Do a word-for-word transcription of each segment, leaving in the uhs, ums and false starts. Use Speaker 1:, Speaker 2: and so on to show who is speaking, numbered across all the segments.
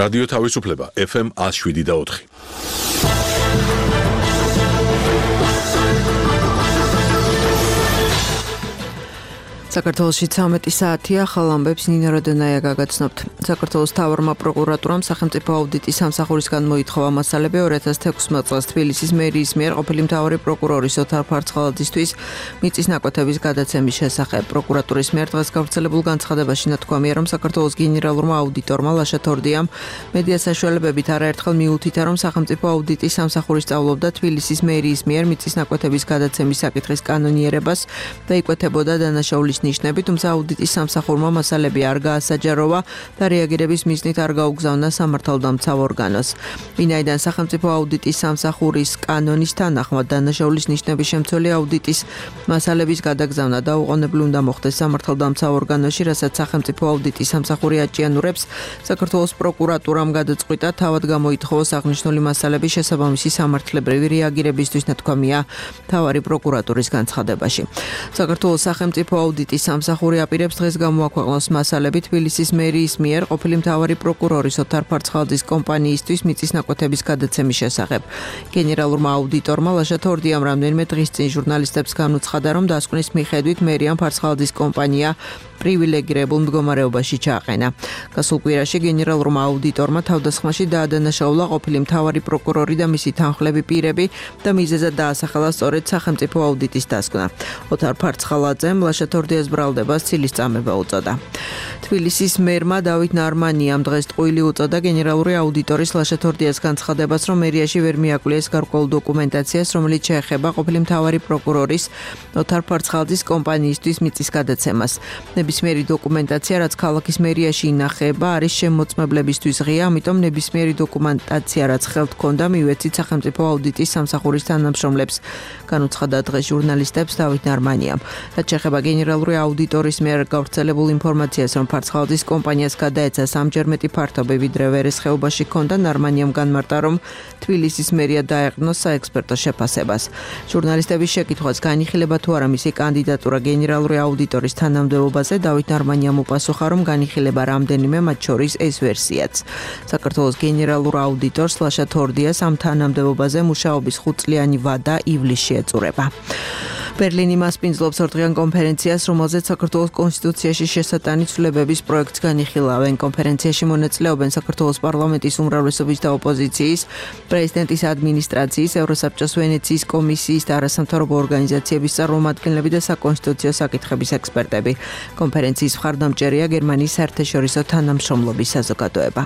Speaker 1: რადიო თავისუფლება ეფ ემ one oh seven და four.
Speaker 2: საქართველოში ცამეტი საათია, ახალ ამბებს ნინო როდონაია გაგაცნობთ. საქართველოს მთავარმა პროკურატურამ სახელმწიფო აუდიტის სამსახურისგან მოითხოვა მასალები two thousand sixteen წელს თბილისის მერიის მიერ ყოფილი მთავარი პროკურორის ოთარ ფარცხალაძისთვის მიწის ნაკვეთების გადაცემის შესახებ. პროკურატურის მიერ დღეს გავრცელებულ განცხადებაში ნათქვამია, რომ საქართველოს გენერალურმა აუდიტორმა ლაშა თორდიამ მედია საშუალებებით არაერთხელ მიუთითა, რომ სახელმწიფო აუდიტის სამსახური სწავლობდა თბილისის მერიის მიერ მიწის ნაკვეთების გადაცემის საკითხის კანონიერებას და იკვეთებოდა დანაშაულის ნიშნები, თუმცა აუდიტის სამსახურმა მასალები არ გაასაჯაროვა და რეაგირების მიზნით არ გაუგზავნა სამართალდამცავ ორგანოს. ვინაიდან სახელმწიფო აუდიტის სამსახურის კანონის თანახმად დანაშაულის ნიშნების შემცველი აუდიტის მასალების გადაგზავნა დაუყოვნებლივ უნდა მოხდეს სამართალდამცავ ორგანოში, რასაც სახელმწიფო აუდიტის სამსახური აჭიანურებს, საქართველოს პროკურატურამ გადაწყვიტა თავად გამოითხოვოს აღნიშნული მასალების შესაბამისი სამართლებრივი რეაგირებისთვის, ნათქვამია მთავარი პროკურატურის განცხადებაში. საქართველოს სახელმწიფო აუდიტის სამსახური აპირებს დღეს გამოაქვეყნოს მასალები თბილისის მერიის მიერ ყოფილი მთავარი პროკურორის ოთარ ფარცხალაძის კომპანიისთვის მიწის ნაკვეთების გადაცემის შესახებ. გენერალურმა აუდიტორმა ლაშა თორდიამ რამდენიმე დღის წინ ჟურნალისტებს განუცხადა, რომ დასკვნის მიხედვით მერიამ ფარცხალაძის კომპანია პრივილეგირებულ მდგომარეობაში ჩააყენა. გასულ კვირაში გენერალურმა აუდიტორმა თავდასხმაში დაადანაშაულა ყოფილი მთავარი პროკურორი და მისი თანხლები პირები და მიზეზად დაასახელა სწორედ სახელმწიფო აუდიტის დასკვნა. ოთარ ფარცხალაძემ ლაშა თორდიას ბრალდებას ცილის წამება უწოდა. თბილისის მერმა დავით ნარმანიამ დღეს ტყუილი უწოდა გენერალური აუდიტორის ლაშა თორდიას განცხადებას, რომ მერიაში ვერ მიაკვლიეს გარკვეულ დოკუმენტაციას, რომელიც შეეხება ყოფილი მთავარი პროკურორის ოთარ ფარცხალაძის კომპანიისთვის მიწის გადაცემას. ნებისმიერი დოკუმენტაცია, რაც ქალაქის მერიაში ინახება, არის შემოწმებლებისთვის ღია, ამიტომ ნებისმიერი დოკუმენტაცია, რაც ხელთ ჰქონდა, მივეცით სახელმწიფო აუდიტის სამსახურის თანამშრომლებს, განუცხადა დღეს ჟურნალისტებს დავით ნარმანიამ. რაც შეეხება გენერალური აუდიტორის მიერ გავრცელებულ ინფორმაციას, რომ ფარცხალაძის კომპანიას გადაეცა სამჯერ მეტი ფართობი, ვიდრე ვერეს ხეობაში ჰქონდა, ნარმანიამ განმარტა, რომ თბილისის მერია დაეყრდნოს საექსპერტო შეფასებას. ჟურნალისტების შეკითხვას განიხილება თუ არა მისი კანდიდატურა გენერალური აუდიტორის თანამდებობაზე, დავით ნარმანიამ უპასუხა, რომ განიხილება რამდენიმე, მათ შორის ეს ვერსიაც. საქართველოს გენერალურ აუდიტორს ლაშა თორდიას ამ თანამდებობაზე მუშაობის ხუთწლიანი ვადა ივლისში ეწურება. ბერლინი მასპინძლობს ორდღიან კონფერენციას, რომელზეც საქართველოს კონსტიტუციაში შესატანი ცვლილებების პროექტს განიხილავენ. კონფერენციაში მონაწილეობენ საქართველოს პარლამენტის უმრავლესობის და ოპოზიციის, პრეზიდენტის ადმინისტრაციის, ევროსაბჭოს ვენეციის კომისიის და არასამთავრობო ორგანიზაციების წარმომადგენლები და საკონსტიტუციო საკითხების ექსპერტები. კონფერენციის მხარდამჭერია გერმანიის საერთაშორისო თანამშრომლობის საზოგადოება.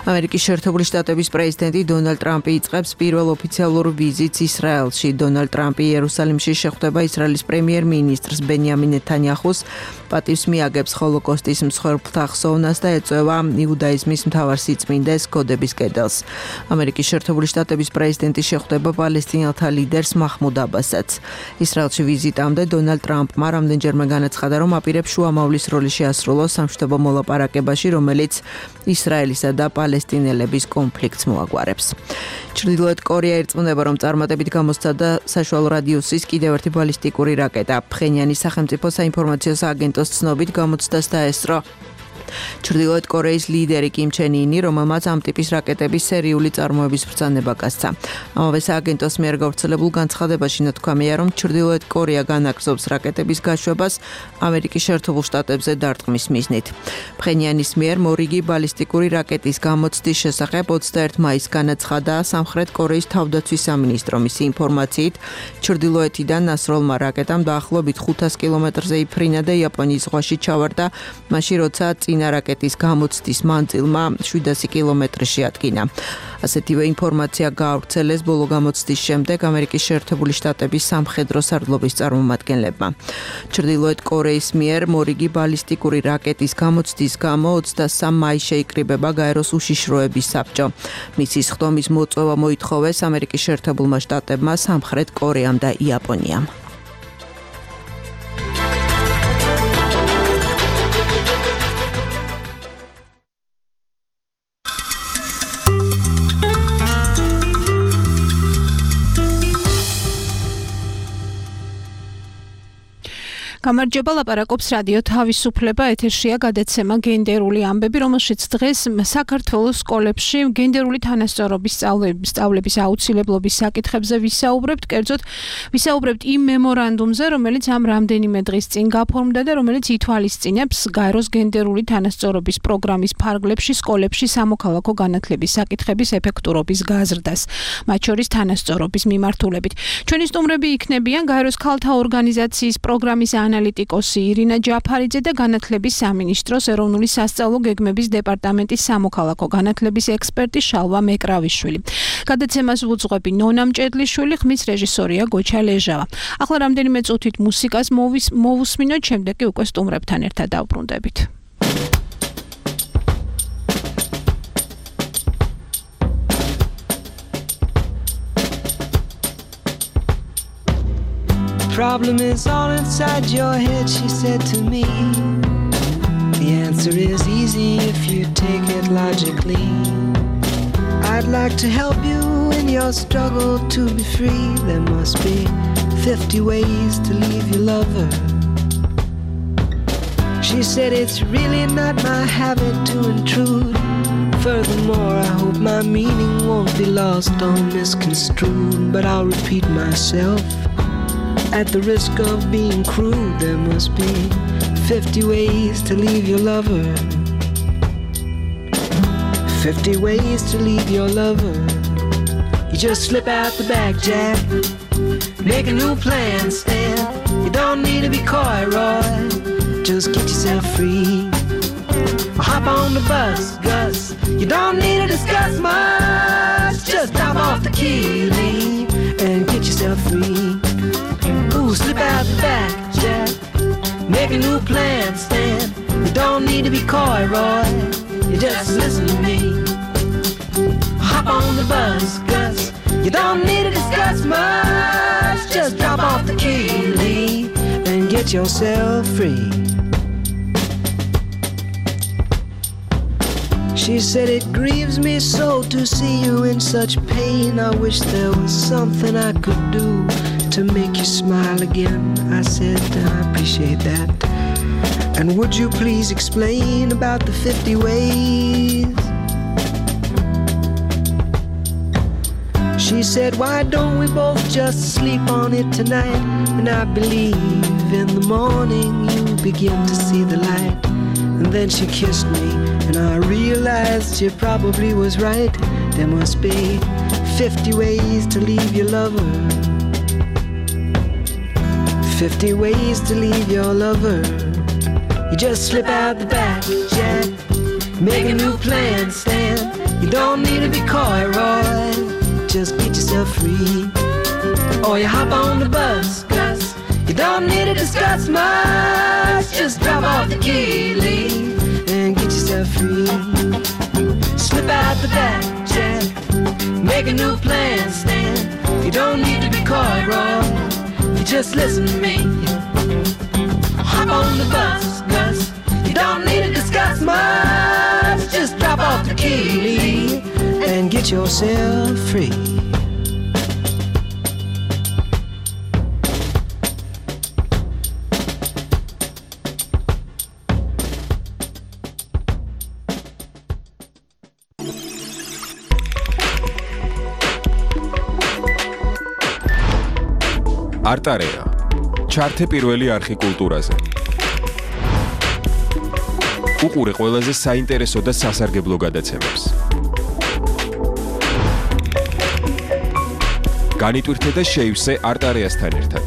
Speaker 2: ამერიკის შეერთებული შტატების პრეზიდენტი დონალდ ტრამპი იწყებს პირველ ოფიციალურ ვიზიტს ისრაელში. დონალდ ტრამპი იერუსალიმში შეხვდება ისრაელის პრემიერ-მინისტრს ბენიამინ ნეთანიაჰუს, პატივს მიაგებს ჰოლოკოსტის მსხვერპლთა ხსოვნას და ეწევა იუდაიზმის მთავარ სიწმინდეს კოდების კედელს. ამერიკის შეერთებული შტატების პრეზიდენტი შეხვდება პალესტინელთა ლიდერს მაჰმუდ აბასსაც. ისრაელში ვიზიტამდე დონალდ ტრამპმა რამდენჯერმე განაცხადა, რომ აპირებს შუამავლის როლი შეასრულოს სამშვიდობო მოლაპარაკებაში, რომელიც ისრაელისა და პალესტინელების კონფლიქტს მოაგვარებს. ჩრდილოეთ კორეა ირწმუნება, რომ წარმატებით გამოსცადა საშუალო რადიუსის კიდევ ერთი ბალისტიკური რაკეტა. ფხენიანის სახელმწიფო საინფორმაციო სააგენტოს ცნობით გამოცდას დაესწრო ჩრდილოეთ კორეის ლიდერი კიმ ჩენ ინი, რომელმაც ამ ტიპის რაკეტების სერიული წარმოების ბრძანება გასცა. ამავე სააგენტოს მიერ გავრცელებულ განცხადებაში ნათქვამია, რომ ჩრდილოეთ კორეა განაგრძობს რაკეტების გაშვებას ამერიკის შეერთებულ შტატებზე დარტყმის მიზნით. ფხენიანის მიერ მორიგი ბალისტიკური რაკეტის გამოცდის შესახებ ოცდაერთი მაისს განაცხადა სამხრეთ კორეის თავდაცვის სამინისტრო. მისი ინფორმაციით, ჩრდილოეთიდან ასროლმა რაკეტამ დაახლოებით ხუთას კილომეტრზე იფრინა და იაპონიის ზღვაში ჩავარდა, მაშინ როცა წინა რაკეტის გამოცდის მანძილმა შვიდასი კილომეტრი შეადგინა. ასეთივე ინფორმაცია გაავრცელეს ბოლო გამოცდის შემდეგ ამერიკის შეერთებული შტატების სამხედრო სარდლობის წარმომადგენლებმა. ჩრდილოეთ კორეის მიერ მორიგი ბალისტიკური რაკეტის გამოცდის გამო ოცდასამ მაისს შეიკრიბება გაეროს უშიშროების საბჭო. მისი სხდომის მოწვევა მოითხოვეს ამერიკის შეერთებულმა შტატებმა, სამხრეთ კორეამ და იაპონიამ.
Speaker 3: გამარჯობა, ლაპარაკობს რადიო თავისუფლება, ეთერშია გადაცემა გენდერული ამბები, რომელშიც დღეს საქართველოს სკოლებში გენდერული თანასწორობის სწავლების აუცილებლობის საკითხებზე ვისაუბრებთ, კერძოდ ვისაუბრებთ იმ მემორანდუმზე, რომელიც ამ რამდენიმე დღის წინ გაფორმდა და რომელიც ითვალისწინებს გაეროს გენდერული თანასწორობის პროგრამის ფარგლებში სკოლებში სამოქალაქო განათლების საკითხების ეფექტურობის გაზრდას, მათ შორის თანასწორობის მიმართულებით. ჩვენი სტუმრები იქნებიან გაეროს ქალთა ორგანიზაციის პროგრამის ანალიტიკოსი ირინა ჯაფარიძე და განათლების სამინისტროს ეროვნული სასწავლო გეგმების დეპარტამენტის სამოქალაქო განათლების ექსპერტი შალვა მეკრავიშვილი. გადაცემას ვუძღვები ნონა მჭედლიშვილი, ხმის რეჟისორია გოჩა ლეჟავა. ახლა რამდენიმე წუთით მუსიკას მოვუსმინოთ, შემდეგ კი უკვე სტუმრებთან ერთად დავბრუნდებით.
Speaker 4: Problem is all inside your head, she said to me. The answer is easy if you take it logically. I'd like to help you in your struggle to be free. There must be fifty ways to leave your lover. She said it's really not my habit to intrude. Furthermore, I hope my meaning won't be lost or misconstrued. But I'll repeat myself. At the risk of being crude, there must be fifty ways to leave your lover. Fifty ways to leave your lover. You just slip out the back, Jack. Make a new plan, Stan. You don't need to be coy, Roy. Just get yourself free. Or hop on the bus, Gus. You don't need to discuss much. Just drop off the key, leave, and get yourself free. Ooh, slip out the back, Jack. Make a new plan, Stan. You don't need to be coy, Roy. You just listen to me. Hop on the bus, Gus. You don't need to discuss much. Just drop off the key, leave, and get yourself free. She said it grieves me so to see you in such pain. I wish there was something I could do to make you smile again. I said I appreciate that. And would you please explain about the fifty ways? She said, why don't we both just sleep on it tonight? And I believe in the morning you begin to see the light. And then she kissed me and I realized she probably was right. There must be fifty ways to leave your lover. Fifty ways to leave your lover. You just slip out the back, Jack. Make a new plan, Stan. You don't need to be coy, Roy. Just get yourself free. Or you hop on the bus, Gus. You don't need to discuss much. Just drop off the key, leave, and get yourself free. Slip out the back, Jack. Make a new plan, Stan. You don't need to be coy, Roy. You just listen to me. Hop on the bus, Gus. You don't need to discuss much. Just drop off the key and get yourself free.
Speaker 5: არტარეა. ჩართე პირველი არხი კულტურაზე. უყურე ყველაზე საინტერესო და სასარგებლო გადაცემებს. განიტვირთე და შეივსე არტარეასთან ერთად.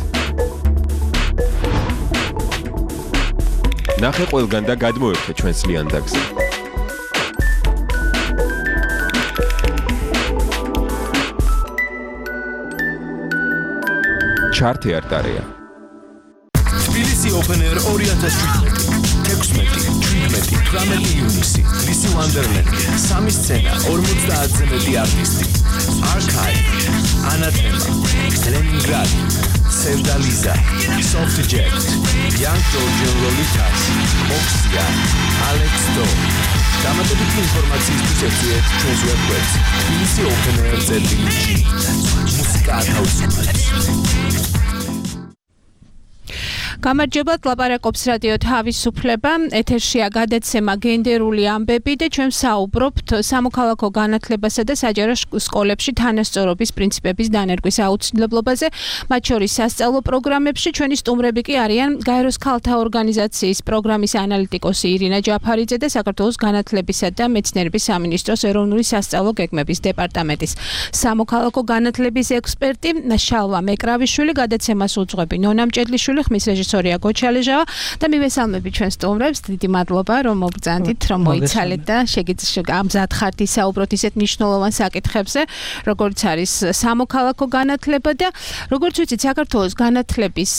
Speaker 5: ნახე ყველგან და გადმოერთე ჩვენს ლიანდაგზე. ჩართე არტარეა.
Speaker 6: თბილისი Open Air ორი ათას შვიდმეტი, თექვსმეტი, შვიდმეტი, თვრამეტი ივნისი, თბილისი Wonderland, სამი სცენა, ორმოცდაათზე მეტი არტისტი, Archive, Anathema, Leningrad, Sevdaliza, Soft Jet, Young Georgian Lolitas, Oxia, Alex Do. დამატებითი ინფორმაციისთვის ეხციეთ ჩვენს ვებგვერდს თბილისი Open Air ზეტი ჯი. მუსიკა ათავისუფლებს.
Speaker 3: გამარჯობა, ლაპარაკობს რადიო თავისუფლება. ეთერშია გადაცემა გენდერული ამბები და ჩვენ საუბრობთ სამოქალაქო განათლებასა და საჯარო სკოლებში თანასწორობის პრინციპების დანერგვის აუცილებლობაზე. მათ შორის სასწავლო პროგრამებში ჩვენი სტუმრები კი არიან გაეროს ქალთა ორგანიზაციის პროგრამის ანალიტიკოსი ირინა ჯაფარიძე და საქართველოს განათლებისა და მეცნიერების სამინისტროს ეროვნული სასწავლო გეგმების დეპარტამენტის სამოქალაქო განათლების ექსპერტი შალვა მეკრავიშვილი. გადაცემას უძღვები ნონა მჭედლიშვილი, ხმის რეჟისორია გოჩალეჟავა და მივესალმები ჩვენ სტუმრებს. დიდი მადლობა რომ მოგბრძანდით, რომ მოიცალეთ და შეგიძლიათ ამზად ხართ ისაუბროთ ისეთ მნიშვნელოვან საკითხებზე, როგორც არის სამოქალაქო განათლება და როგორც ვიცით, საქართველოს განათლების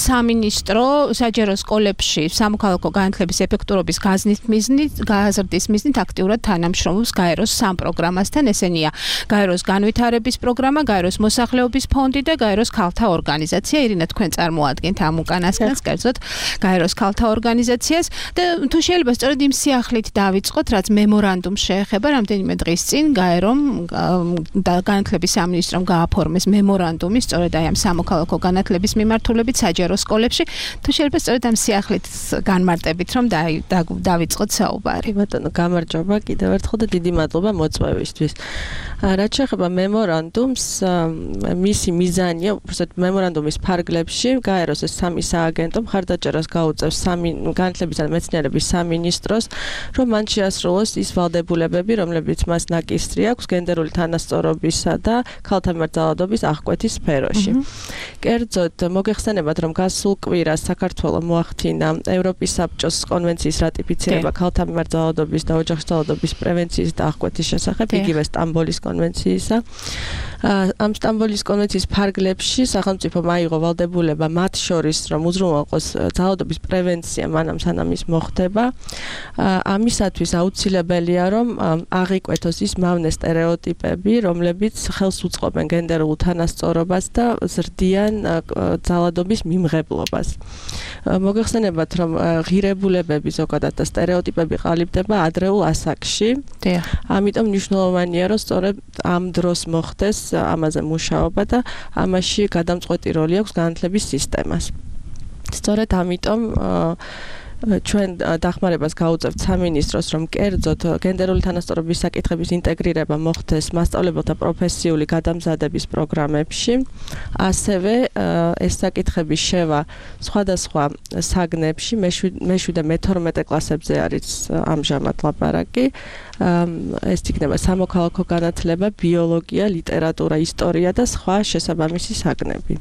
Speaker 3: სამინისტრო საჯარო სკოლებში სამოქალაქო განათლების ეფექტურობის გაზრდის მიზნით, გაზრდის მიზნით აქტიურად თანამშრომლობს გაეროს სამ პროგრამასთან. ესენია გაეროს განვითარების პროგრამა, გაეროს მოსახლეობის ფონდი და გაეროს ქალთა ორგანიზაცია. ირინა, თქვენ წარმოადგენთ ამ უკანასკნელს, კერძოდ გაეროს ქალთა ორგანიზაციას და თუ შეიძლება სწორედ იმ სიახლით დავიწყოთ, რაც მემორანდუმს შეეხება. რამდენიმე დღის წინ გაერომ და განათლების სამინისტრომ გააფორმეს მემორანდუმი სწორედ აი ამ სამოქალაქო განათლების მიმართულებით საჯარო სკოლებში. თუ შეიძლება სწორედ ამ სიახლით განმარტებით, რომ დავიწყოთ საუბარი.
Speaker 7: ბატონო, გამარჯობა კიდევ ერთხელ და დიდი მადლობა მოწვევისთვის. რაც შეეხება მემორანდუმს, მისი მიზანია, უბრალოდ მემორანდუმის ფარგლებში გაეროს ეს სამი სააგენტო მხარდაჭერას გაუწევს სამი განათლების და მეცნიერების სამინისტროს, რომ მან შეასრულოს ის ვალდებულებები, რომლებიც მას ნაკისრი აქვს გენდერული თანასწორობისა და ქალთა მიმართ ძალადობის აღკვეთის სფეროში. კერძოდ, მოგეხსენებათ, რომ გასულ კვირას საქართველო მოახდინა ევროპის საბჭოს კონვენციის რატიფიცირება ქალთა მიმართ ძალადობის და ოჯახის ძალადობის პრევენციის და აღკვეთის შესახებ, იგივე სტამბოლის კონვენციისა. ამ სტამბოლის კონვენციის ფარგლებში სახელმწიფომ აიღო ვალდებულება მათ შორის, რომ უზრუნველყოს ძალადობის პრევენცია მანამ სანამ ის მოხდება. ამისათვის აუცილებელია, რომ აღიკვეთოს ის მავნე სტერეოტიპები, რომლებიც ხელს უწყობენ გენდერულ თანასწორობას და ზრდიან ძალადობის მიმღებლობას. მოგეხსენებათ, რომ ღირებულებები ზოგადად და სტერეოტიპები ყალიბდება ადრეულ ასაკში. ამიტომ მნიშვნელოვანია, რომ სწორედ ამ დროს მოხდეს ამაზე მუშაობა და ამაში გადამწყვეტი როლი აქვს განათლების სისტემას. სწორედ ამიტომ ჩვენ დახმარებას გაუწევთ სამინისტროს, რომ კერძოდ გენდერული თანასწორობის საკითხების ინტეგრირება მოხდეს მასწავლებელთა პროფესიული გადამზადების პროგრამებში. ასევე ეს საკითხები შევა სხვადასხვა საგნებში, მეშვიდე და მეთორმეტე კლასებზე არის ამჟამად ლაპარაკი. ეს იქნება სამოქალაქო განათლება, ბიოლოგია, ლიტერატურა, ისტორია და სხვა შესაბამისი საგნები.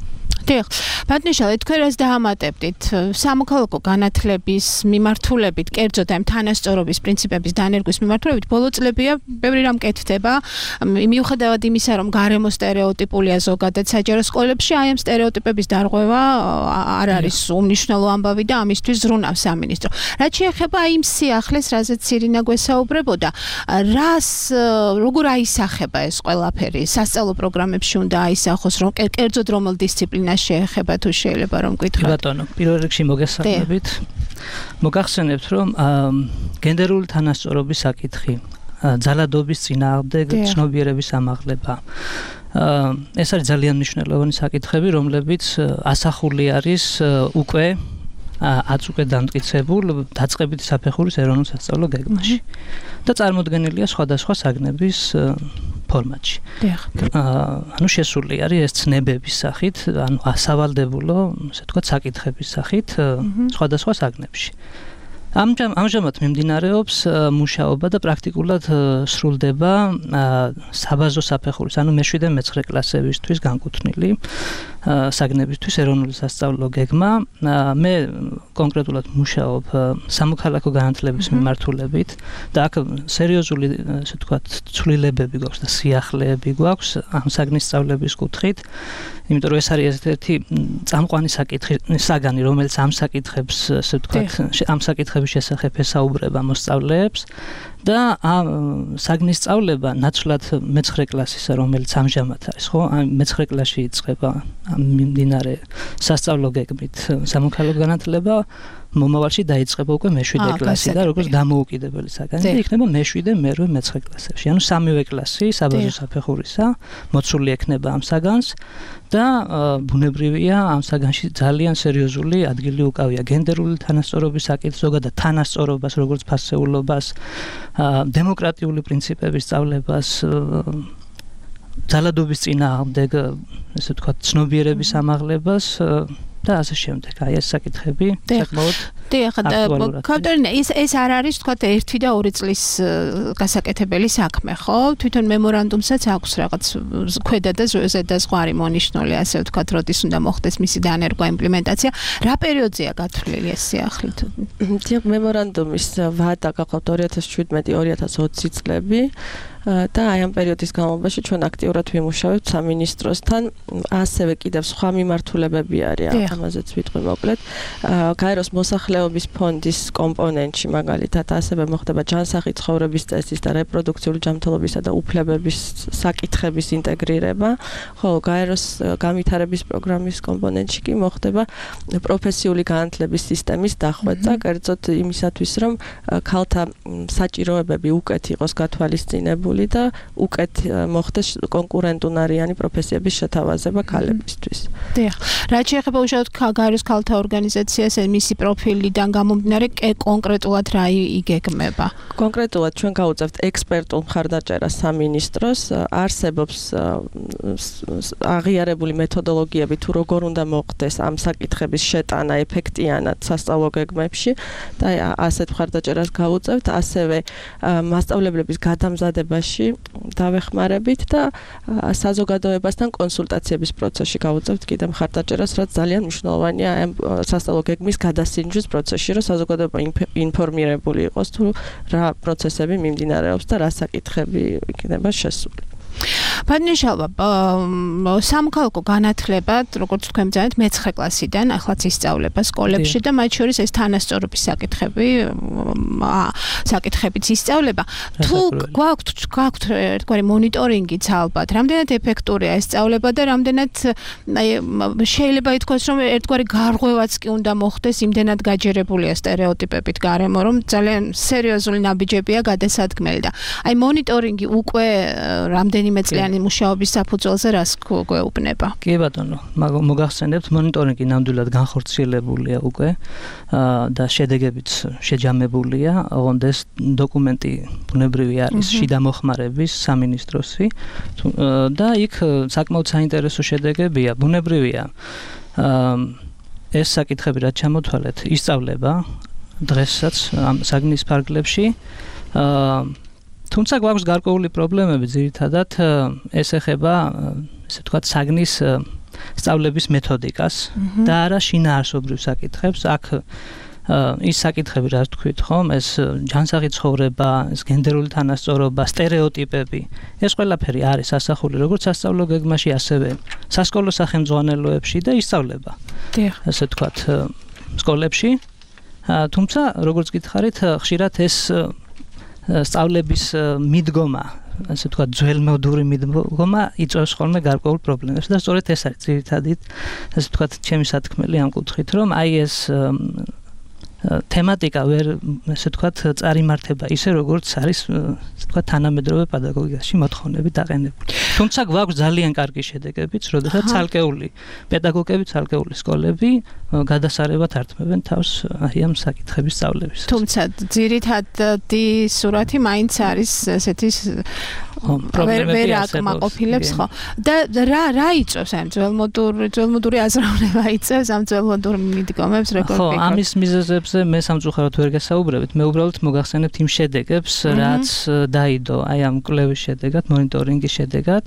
Speaker 3: დიახ, ბატონიშალე, თქვენ რას დაამატებდით სამოქალაქო განათლების მიმართულებით, კერძოდ ამ თანასწორობის პრინციპების დანერგვის მიმართულებით? ბოლო წლებია ბევრი რამ კეთდება, მიუხედავად იმისა, რომ გარემო სტერეოტიპულია ზოგადად საჯარო სკოლებში, აი ამ სტერეოტიპების დარღვევა არ არის უმნიშვნელო ამბავი და ამისთვის ზრუნავს სამინისტრო. რაც შეეხება იმ სიახლეს, რაზეც ირინა გვესაუბრებოდა, რას როგორ აისახება ეს ყველაფერი? სასწავლო პროგრამებში უნდა აისახოს, რომ კერძოდ რომელ დისციპლინას შეეხება, თუ შეიძლება რომ გითხრათ?
Speaker 8: ბატონო, პირველ რიგში მოგესალმებით. მოგახსენებთ, რომ გენდერული თანასწორობის საკითხი, ძალადობის წინააღმდეგ ცნობიერების ამაღლება. ეს არის ძალიან მნიშვნელოვანი საკითხები, რომლებიც ასახული არის უკვე ათს უკვე დამტკიცებულ დაწყებითი საფეხურის ეროვნულ სასწავლო გეგმაში და წარმოდგენილია სხვადასხვა საგნების ფორმატში. ანუ შესული არის ეს ცნებების სახით, ანუ ასავალდებულო, ასე ვთქვათ, საკითხების სახით სხვადასხვა საგნებში. ამჟამად მიმდინარეობს მუშაობა და პრაქტიკულად სრულდება საბაზო საფეხურის, ანუ მეშვიდე და მეცხრე კლასებისთვის განკუთვნილი საგნებისთვის ეროვნული სასწავლო გეგმა. მე კონკრეტულად მუშაობ სამოქალაქო განათლების მიმართულებით და აქ სერიოზული, ასე ვთქვათ, ცვლილებები გვაქვს და სიახლეები გვაქვს ამ საგნის სწავლების კუთხით. იმიტომ რომ ეს არის ერთ-ერთი წამყვანი საკითხი, საგანი, რომელიც ამ საკითხებს, ასე ვთქვათ, ამ საკითხების შესახებ ესაუბრება მოსწავლეებს და ამ საგნის სწავლება ნაცვლად მეცხრე კლასისა, რომელიც ამჟამად არის, ხო? ამ მეცხრე კლასში იწყება ამ მიმდინარე სასწავლო გეგმით სამოქალაქო განათლება, მომავალში დაიწყება უკვე მეშვიდე კლასი და როგორც დამოუკიდებელი საგანი და იქნება მეშვიდე, მერვე, მეცხრე კლასებში. ანუ სამივე კლასი საბაზო საფეხურისა მოცული ექნება ამ საგანს და ბუნებრივია ამ საგანში ძალიან სერიოზული ადგილი უკავია გენდერული თანასწორობის საკითხს, ზოგადად თანასწორობას, როგორც ფასეულობას, დემოკრატიული პრინციპების სწავლებას, ძალადობის წინააღმდეგ, ესე ვთქვათ, ცნობიერების ამაღლებას და ასე შემდეგ. აი ეს საკითხები საკმაოდ
Speaker 3: დიახ, კავტერინა, ეს ეს არ არის თქვათ ერთი და ორი წლის გასაკეთებელი საქმე, ხო? თვითონ მემორანდუმსაც აქვს რაღაც ქვედა და ზედა ზღვარი მონიშნული, ასე ვთქვათ, როდის უნდა მოხდეს მისი დანერგვა იმპლემენტაცია. რა პერიოდზეა გათვლილი ეს სიახლით?
Speaker 7: დიახ, მემორანდუმის ვადა გახლავთ ორი ათას შვიდმეტი ორი ათას ოცი წლები. და აი ამ პერიოდის განმავლობაში ჩვენ აქტიურად ვიმუშავებთ სამინისტროსთან, ასევე კიდევ სხვა მიმართულებები არის, ამაზეც ვიტყვი მოკლედ. გაეროს მოსახლეობის ფონდის კომპონენტში მაგალითად ასევე მოხდება ჯანსაღი ცხოვრების წესის და რეპროდუქციული ჯანმრთელობისა და უფლებების საკითხების ინტეგრირება, ხოლო გაეროს განვითარების პროგრამის კომპონენტში კი მოხდება პროფესიული განათლების სისტემის დახვეწა, კერძოდ იმისათვის, რომ ქალთა საჭიროებები უკეთ იყოს გათვალისწინებული და უკეთ მოხდეს კონკურენტუნარიანი პროფესიების შეთავაზება ქალებისთვის.
Speaker 3: დიახ. რაც შეეხება უშუალოდ გაეროს ქალთა ორგანიზაციას, მისი პროფილიდან გამომდინარე კონკრეტულად რა იგეგმება?
Speaker 7: კონკრეტულად ჩვენ გავუწევთ ექსპერტულ მხარდაჭერას სამინისტროს, არსებობს აღიარებული მეთოდოლოგიები თუ როგორ უნდა მოხდეს ამ საკითხების შეტანა ეფექტიანად სასწავლო გეგმებში და ასეთ მხარდაჭერას გავუწევთ, ასევე მასწავლებლების გადამზადებაში დავეხმარებით და საზოგადოებასთან კონსულტაციების პროცესში გავუწევთ კიდევ მხარდაჭერას, რაც ძალიან მნიშვნელოვანია ამ სასწავლო გეგმის გადასინჯვის პროცესში, რომ საზოგადოება ინფორმირებული იყოს თუ რა პროცესები მიმდინარეობს და რა საკითხები იქნება შესული.
Speaker 3: Პადნიშალვა, სამოქალაქო განათლებად, როგორც თქვენ ბრძანეთ, მეცხრე კლასიდან ახლა ისწავლება სკოლებში და მათ შორის ეს თანასწორობის საკითხები, საკითხებიც ისწავლება. თუ გვაქვთ გვაქვთ ერთგვარი მონიტორინგიც ალბათ, რამდენად ეფექტურია ეს სწავლება და რამდენად შეიძლება ითქვას, რომ ერთგვარი გარღვევაც კი უნდა მოხდეს, იმდენად გაჯერებულია სტერეოტიპებით გარემო, რომ ძალიან სერიოზული ნაბიჯებია გადასადგმელი და აი მონიტორინგი უკვე რამდენიმე წლიანი მუშაობის საფუძველზე რას გვეუბნება?
Speaker 8: კი ბატონო, მოგახსენებთ, მონიტორინგი ნამდვილად განხორციელებულია უკვე და შედეგებიც შეჯამებულია. ოღონდ ეს დოკუმენტი ბუნებრივი არის შიდა მოხმარების სამინისტროსი და იქ საკმაოდ საინტერესო შედეგებია. ბუნებრივია ეს საკითხები რაც ჩამოთვალეთ, ისწავლება დღესაც ამ საგნის ფარგლებში. თუმცა გვაქვს გარკვეული პრობლემები, ძირითადად ეს ეხება, ესე ვთქვათ, საგნის სწავლების მეთოდიკას და არა შინაარსობრივ საკითხებს. აქ ის საკითხები, რაც თქვით, ხომ, ეს ჯანსაღი ცხოვრება, ეს გენდერული თანასწორობა, სტერეოტიპები, ეს ყველაფერი არის ასახული როგორც სასწავლო გეგმაში, ასევე სასკოლო სახელმძღვანელოებში და ისწავლება. დიახ. ესე ვთქვათ, სკოლებში. თუმცა, როგორც გითხარით, ხშირად ეს სწავლების მიდგომა, ასე ვთქვათ, ძველმოდური მიდგომა იწვევს ხოლმე გარკვეულ პრობლემებს და სწორედ ეს არის ძირითადი, ასე ვთქვათ, ჩემი სათქმელი ამ კუთხით, რომ აი ეს თემატიკა ვერ, ასე ვთქვათ, წარიმართება ისე როგორც არის, ასე ვთქვათ, თანამედროვე პედაგოგიაში მოთხოვნები დაყენებული. თუმცა გვაქვს ძალიან კარგი შედეგებიც, როდესაც ცალკეული პედაგოგები, ცალკეული სკოლები გადასარევად ართმევენ თავს აი ამ საკითხების სწავლების.
Speaker 3: თუმცა ძირითადი სურათი მაინც არის ესეთი ვერ აკმაყოფილებს, ხო? და რა რა იწევს ამ ძველმოდური ძველმოდური აზროვნება იწევს ამ ძველმოდურ მიდგომებს, როგორ
Speaker 8: ხო, ამის მიზეზებზე მე სამწუხაროდ ვერ გასაუბრებით. მე უბრალოდ მოგახსენებთ იმ შედეგებს, რაც დაიდო აი ამ კვლევის შედეგად, მონიტორინგის შედეგად.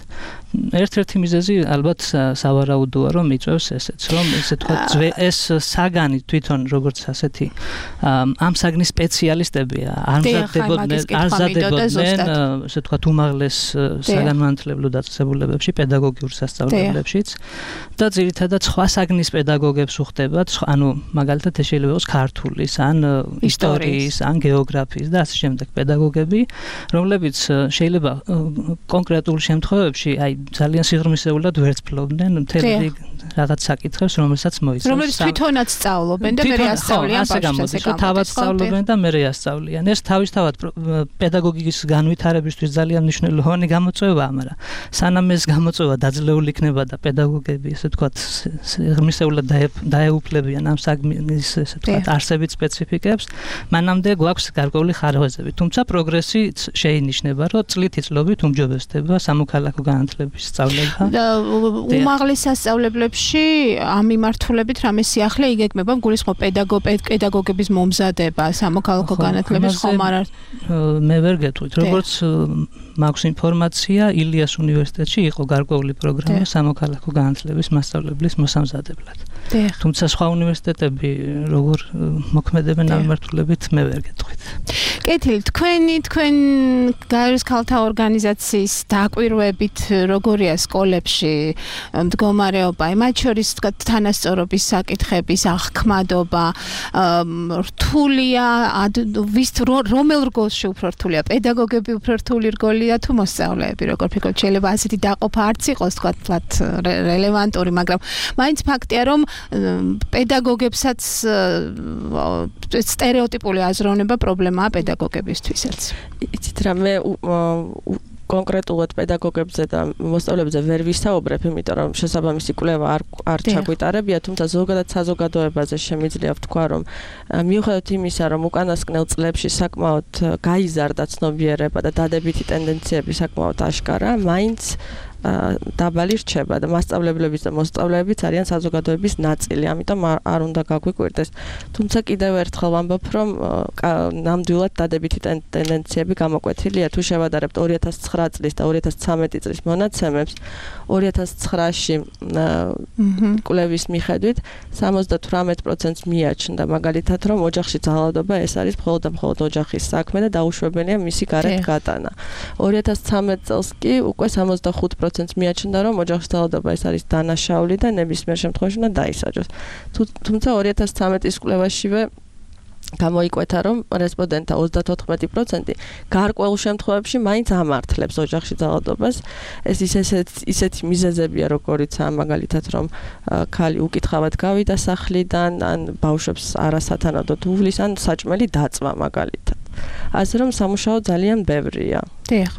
Speaker 8: ერთ-ერთი მიზეზი ალბათ სავარაუდოა, რომ იწევს ესეც, რომ ესე ვთქვათ, ეს საგანი თვითონ როგორც ასეთი ამ საგნის სპეციალისტები არ მზადდებოდნენ, არ მზადდებოდნენ, ესე ვთქვათ, უმაღლეს საგანმანათლებლო დაწესებულებებში, პედაგოგიურ სასწავლებლებშიც და ძირითადად სხვა საგნის პედაგოგებს უხდებათ, ანუ მაგალითად ეს შეიძლება იყოს ქართულის, ან ისტორიის, ან გეოგრაფიის და ასე შემდეგ პედაგოგები, რომლებიც შეიძლება კონკრეტულ შემთხვევებში სასწავლებელში აი ძალიან სიღრმისეულად ვერცფლობდნენ მთელი რაღაც საკითხებს, რომელსაც მოიცავს.
Speaker 3: რომლებიც თვითონაც სწავლობენ და მე ასწავლიან ბავშვებს.
Speaker 8: თავად სწავლობენ და მე ასწავლიან. ეს თავისთავად პედაგოგიკის განვითარებისთვის ძალიან მნიშვნელოვანი გამოწვევაა, მაგრამ სანამ ეს გამოწვევა დაძლეული იქნება და პედაგოგები, ესე ვთქვათ, სიღრმისეულად დაეუფლებიან ამ საგმის, ესე ვთქვათ, არსებით სპეციფიკებს, მანამდე გვაქვს გარკვეული ხარვეზები. თუმცა პროგრესი შეინიშნება, რომ წლითი წლობით უმჯობესდება სამოქალაქო განათლების სწავლება.
Speaker 3: უმაღლეს სასწავლებლებში ამ მიმართულებით რამე სიახლე იგეგმება, გულისხმობ პედაგოგების მომზადება სამოქალაქო განათლების ხომ არ არის?
Speaker 8: მე ვერ გეტყვით, როგორც მაქვს ინფორმაცია, ილიას უნივერსიტეტში იყო გარკვეული პროგრამა სამოქალაქო განათლების მასწავლებლის მოსამზადებლად. თუმცა სხვა უნივერსიტეტები როგორ მოქმედებენ ამ მიმართულებით მე ვერ გეტყვით.
Speaker 3: კეთილი, თქვენი თქვენ გაეროს ქალთა ორგანიზაციის დაკვირვებით როგორია სკოლებში მდგომარეობა, მათ შორის თქვა თანასწორობის საკითხების აღქმადობა, რთულია, ვის რომელ რგოლში უფრო რთულია, პედაგოგები უფრო რთული რგოლია თუ მოსწავლეები, როგორ ფიქრობთ, შეიძლება ასეთი დაყოფა არც იყოს თქვა რელევანტური, მაგრამ მაინც ფაქტია, რომ პედაგოგებსაც სტერეოტიპული აზროვნება პრობლემაა პედაგოგებისთვისაც.
Speaker 7: იცით რა, მე კონკრეტულად პედაგოგებზე და მოსწავლეებზე ვერ ვისაუბრებ, იმიტომ რომ შესაბამისი კვლევა არ არ ჩაგვიტარებია, თუმცა ზოგადად საზოგადოებაზე შემიძლია ვთქვა, რომ მიუხედავად იმისა, რომ უკანასკნელ წლებში საკმაოდ გაიზარდა ცნობიერება და დადებითი ტენდენციები საკმაოდ აშკარა, მაინც დაბალი რჩება და მასწავლებლებიც და მოსწავლეებიც არიან საზოგადოების ნაწილი, ამიტომ არ უნდა გაგვიკვირდეს. თუმცა კიდევ ერთხელ ვამბობ, რომ ნამდვილად დადებითი ტენდენციები გამოკვეთილია. თუ შევადარებთ ორი ათას ცხრა წლის და ორი ათას ცხრამეტი წლის მონაცემებს, ორი ათას ცხრაში კვლევის მიხედვით სამოცდათვრამეტ პროცენტს მიაჩნდა მაგალითად, რომ ოჯახში ძალადობა ეს არის მხოლოდ და მხოლოდ ოჯახის საქმე და დაუშვებელია მისი გარეთ გატანა. ორი ათას ცხრამეტ წელს კი უკვე სამოცდახუთ პროცენტს მიაჩნდა, რომ ოჯახის ძალადობა ეს არის დანაშაული და ნებისმიერ შემთხვევაში უნდა დაისაჯოს. თუმცა ორი ათას ცხრამეტის კვლევაშივე გამოიკვეთა, რომ რესპონდენტთა ოცდათოთხმეტი პროცენტი გარკვეულ შემთხვევებში მაინც ამართლებს ოჯახში ძალადობას. ეს ისეთი მიზეზებია, როგორიცაა მაგალითად, რომ ქალი უკითხავად გავიდა სახლიდან, ან ბავშვებს არასათანადოდ უვლის, ან საჭმელი დაწვა მაგალითად. ასე რომ სამუშაო ძალიან ბევრია.
Speaker 3: დიახ.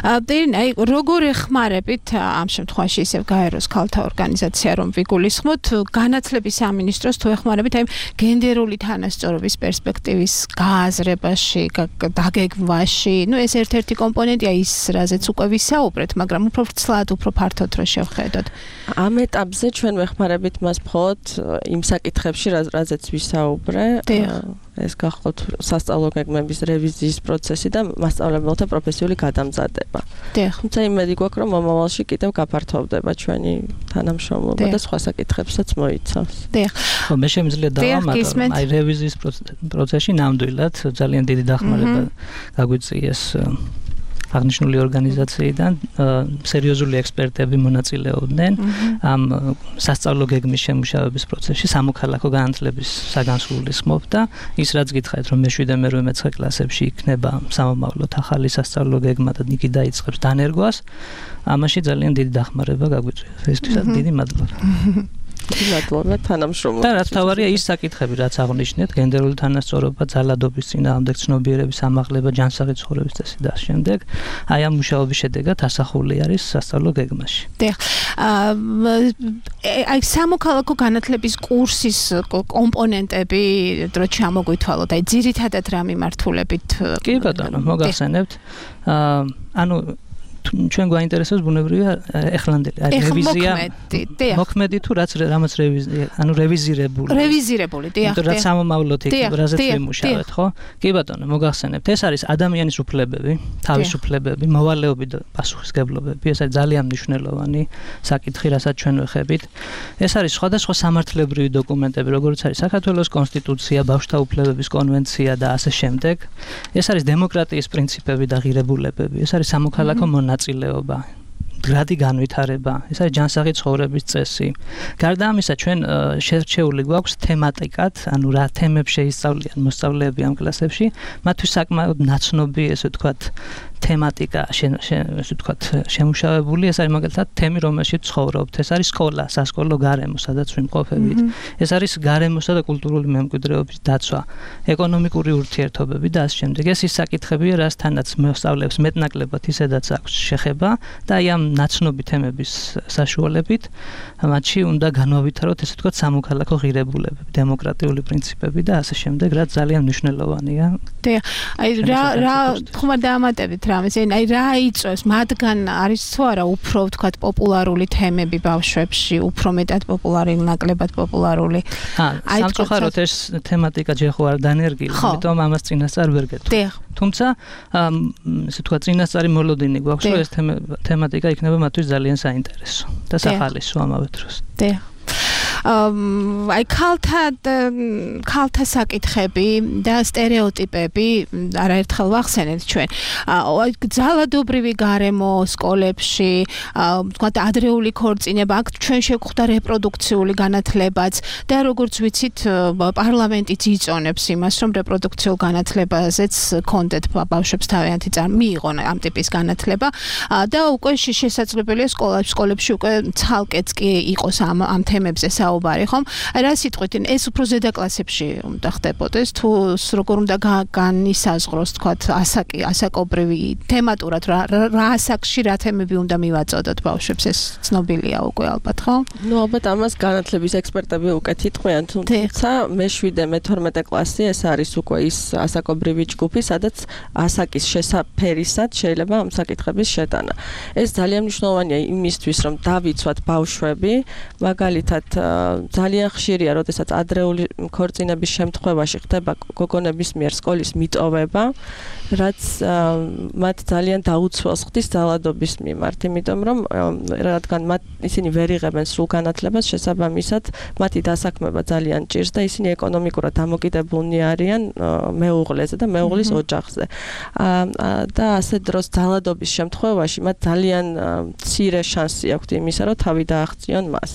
Speaker 3: დეირინა, აი როგორ ეხმარებით ამ შემთხვევაში ისევ გაეროს ქალთა ორგანიზაცია რომ ვიგულისხმოთ განათლების სამინისტროს თუ ეხმარებით აი გენდერული თანასწორობის პერსპექტივის გააზრებაში, დაგეგმვაში, ну ეს ერთ-ერთი კომპონენტია ის, რაზეც უკვე ვისაუბრეთ, მაგრამ უფრო ვრცლად, უფრო ფართოდ რო შევხედოთ.
Speaker 7: ამ ეტაპზე ჩვენ ვეხმარებით მას მხოლოდ იმ საკითხებში, რაზეც ვისაუბრე. ეს გახლავთ სასწავლო გეგმების რევიზიის პროცესი და მასწავლებელთა პროფესიული გადამზადება. თუმცა იმედი გვაქვს, რომ მომავალში კიდევ გაფართოვდება ჩვენი თანამშრომლობა და სხვა საკითხებსაც მოიცავს.
Speaker 8: ხო, მე შემიძლია დავამატო, აი რევიზიის პროცესში ნამდვილად ძალიან დიდი დახმარება გაგვიწიეს აღნიშნული ორგანიზაციიდან, სერიოზული ექსპერტები მონაწილეობდნენ ამ სასწავლო გეგმის შემუშავების პროცესში, სამოქალაქო განათლების საგანსულისხმოდ და ის რაც გითხარით, რომ მეშვიდე მერვე მეცხრე კლასებში იქნება სამომავლოდ ახალი სასწავლო გეგმა და იგი დაიწყებს დანერგვას, ამაში ძალიან დიდი დახმარება გაგვიწვია. ესთვისაც დიდი მადლობა.
Speaker 7: მადლობა თანამშრომლობისთვის.
Speaker 8: და რაც თავარია ის საკითხები, რაც აღნიშნეთ, გენდერული თანასწორობა, ძალადობის წინააღმდეგ ცნობიერების ამაღლება, ჯანსაღი ცხოვრების წესი და შემდეგ, აი ამ მუშაობის შედეგად ასახული არის სასწავლო გეგმაში.
Speaker 3: დიახ. აი სამოქალაქო განათლების კურსის კომპონენტები დრო ჩამოგვითვალოთ, აი ძირითადად რა მიმართულებით?
Speaker 8: კი ბატონო, მოგახსენებთ. ანუ ჩვენ გვაინტერესებს ბუნებრივია ეხლანდელი რევიზია მოქმედი თუ რაც რამაც რევიზია ანუ რევიზირებული
Speaker 3: რევიზირებული დიახ
Speaker 8: რაც სამომავლოდ იქნება რაზეც ვიმუშავეთ ხო კი ბატონო მოგახსენებთ ეს არის ადამიანის უფლებები თავისუფლებები მოვალეობები და პასუხისგებლობები ეს არის ძალიან მნიშვნელოვანი საკითხი რასაც ჩვენ ვეხებით ეს არის სხვადასხვა სამართლებრივი დოკუმენტები როგორც არის საქართველოს კონსტიტუცია ბავშვთა უფლებების კონვენცია და ასე შემდეგ ეს არის დემოკრატიის პრინციპები და ღირებულებები ეს არის სამოქალაქო ნაწილეობა, გრადი განვითარება, ეს არის ჯანსაღი ცხოვრების წესი. გარდა ამისა, ჩვენ შერჩეული გვაქვს თემატიკად, ანუ რა თემებს შეისწავლიან მოსწავლეები ამ კლასებში, მათთვის საკმაოდ ნაცნობი, ესე ვთქვათ, თემატიკა ესე ვთქვათ შემუშავებული, ეს არის მაგალითად თემი, რომელშიც ცხოვრობთ. ეს არის სკოლა, სასკოლო გარემო, სადაც ვიმყოფებით. ეს არის გარემოსა და კულტურული მემკვიდრეობის დაცვა, ეკონომიკური ურთიერთობები და ასე შემდეგ. ეს ის საკითხებია, რასთანაც მოსწავლეებს მეტნაკლებად ისედაც აქვს შეხება და აი ამ ნაცნობი თემების საშუალებით მათში უნდა განვავითაროთ ესე ვთქვათ სამოქალაქო ღირებულებები, დემოკრატიული პრინციპები და ასე შემდეგ, რაც ძალიან მნიშვნელოვანია.
Speaker 3: და აი რა რა ხომ დაამატებით რამეს, აი რა იწვევს მათგან არის თუ არა უფრო ვთქვათ პოპულარული თემები ბავშვებში, უფრო მეტად პოპულარული, ნაკლებად პოპულარული.
Speaker 8: აი სამწუხაროდ ეს თემატიკა ჯერ ხო არ დანერგილი, ამიტომ ამას წინასწარ ვერ გეტყვი. თუმცა ესე ვთქვათ წინასწარი მოლოდინი გვაქვს, რომ ეს თემატიკა იქნება მათთვის ძალიან საინტერესო და სახალისო ამავე დროს.
Speaker 3: და აი ქალთა ქალთა საკითხები და სტერეოტიპები არაერთხელ ვახსენეთ ჩვენ. აი ძალადობრივი გარემო სკოლებში, ვთქვათ ადრეული ქორწინება, აქ ჩვენ შევხვდა რეპროდუქციული განათლებაც და როგორც ვიცით პარლამენტიც იწონებს იმას, რომ რეპროდუქციულ განათლებაზეც კონდეთ ბავშვებს თავიანთი წამი მიიღონ ამ ტიპის განათლება და უკვე შესაძლებელია სკოლებში უკვე ცალკეც კი იყოს ამ ამ თემებზე საუბარი, ხომ? რა სიტყვით, ეს უფრო ზედა კლასებში უნდა ხდებოდეს, თუ როგორ უნდა განისაზღვროს, თქვათ, ასაკი, ასაკობრივი თემატურად რა რა ასაკში რა თემები უნდა მივაწოდოთ ბავშვებს, ეს ცნობილია უკვე ალბათ, ხო?
Speaker 7: ნუ ალბათ ამას განათლების ექსპერტები უკეთ იტყვიან, თუმცა მეშვიდე მეთორმეტე კლასი ეს არის უკვე ის ასაკობრივი ჯგუფი, სადაც ასაკის შესაფერისად შეიძლება ამ საკითხების შეტანა. ეს ძალიან მნიშვნელოვანია იმისთვის, რომ დავიცვათ ბავშვები, მაგალითად ძალიან ხშირია, როდესაც ადრეული ქორწინების შემთხვევაში ხდება გოგონების მიერ სკოლის მიტოვება, რაც მათ ძალიან დაუცველს ხდის ძალადობის მიმართ, იმიტომ რომ რადგან მათ ისინი ვერ იღებენ სრულ განათლებას, შესაბამისად მათი დასაქმება ძალიან ჭირს და ისინი ეკონომიკურად დამოკიდებულნი არიან მეუღლეზე და მეუღლის ოჯახზე. და ასე დროს ძალადობის შემთხვევაში მათ ძალიან მცირე შანსი აქვთ იმისა, რომ თავი დააღწიონ მას.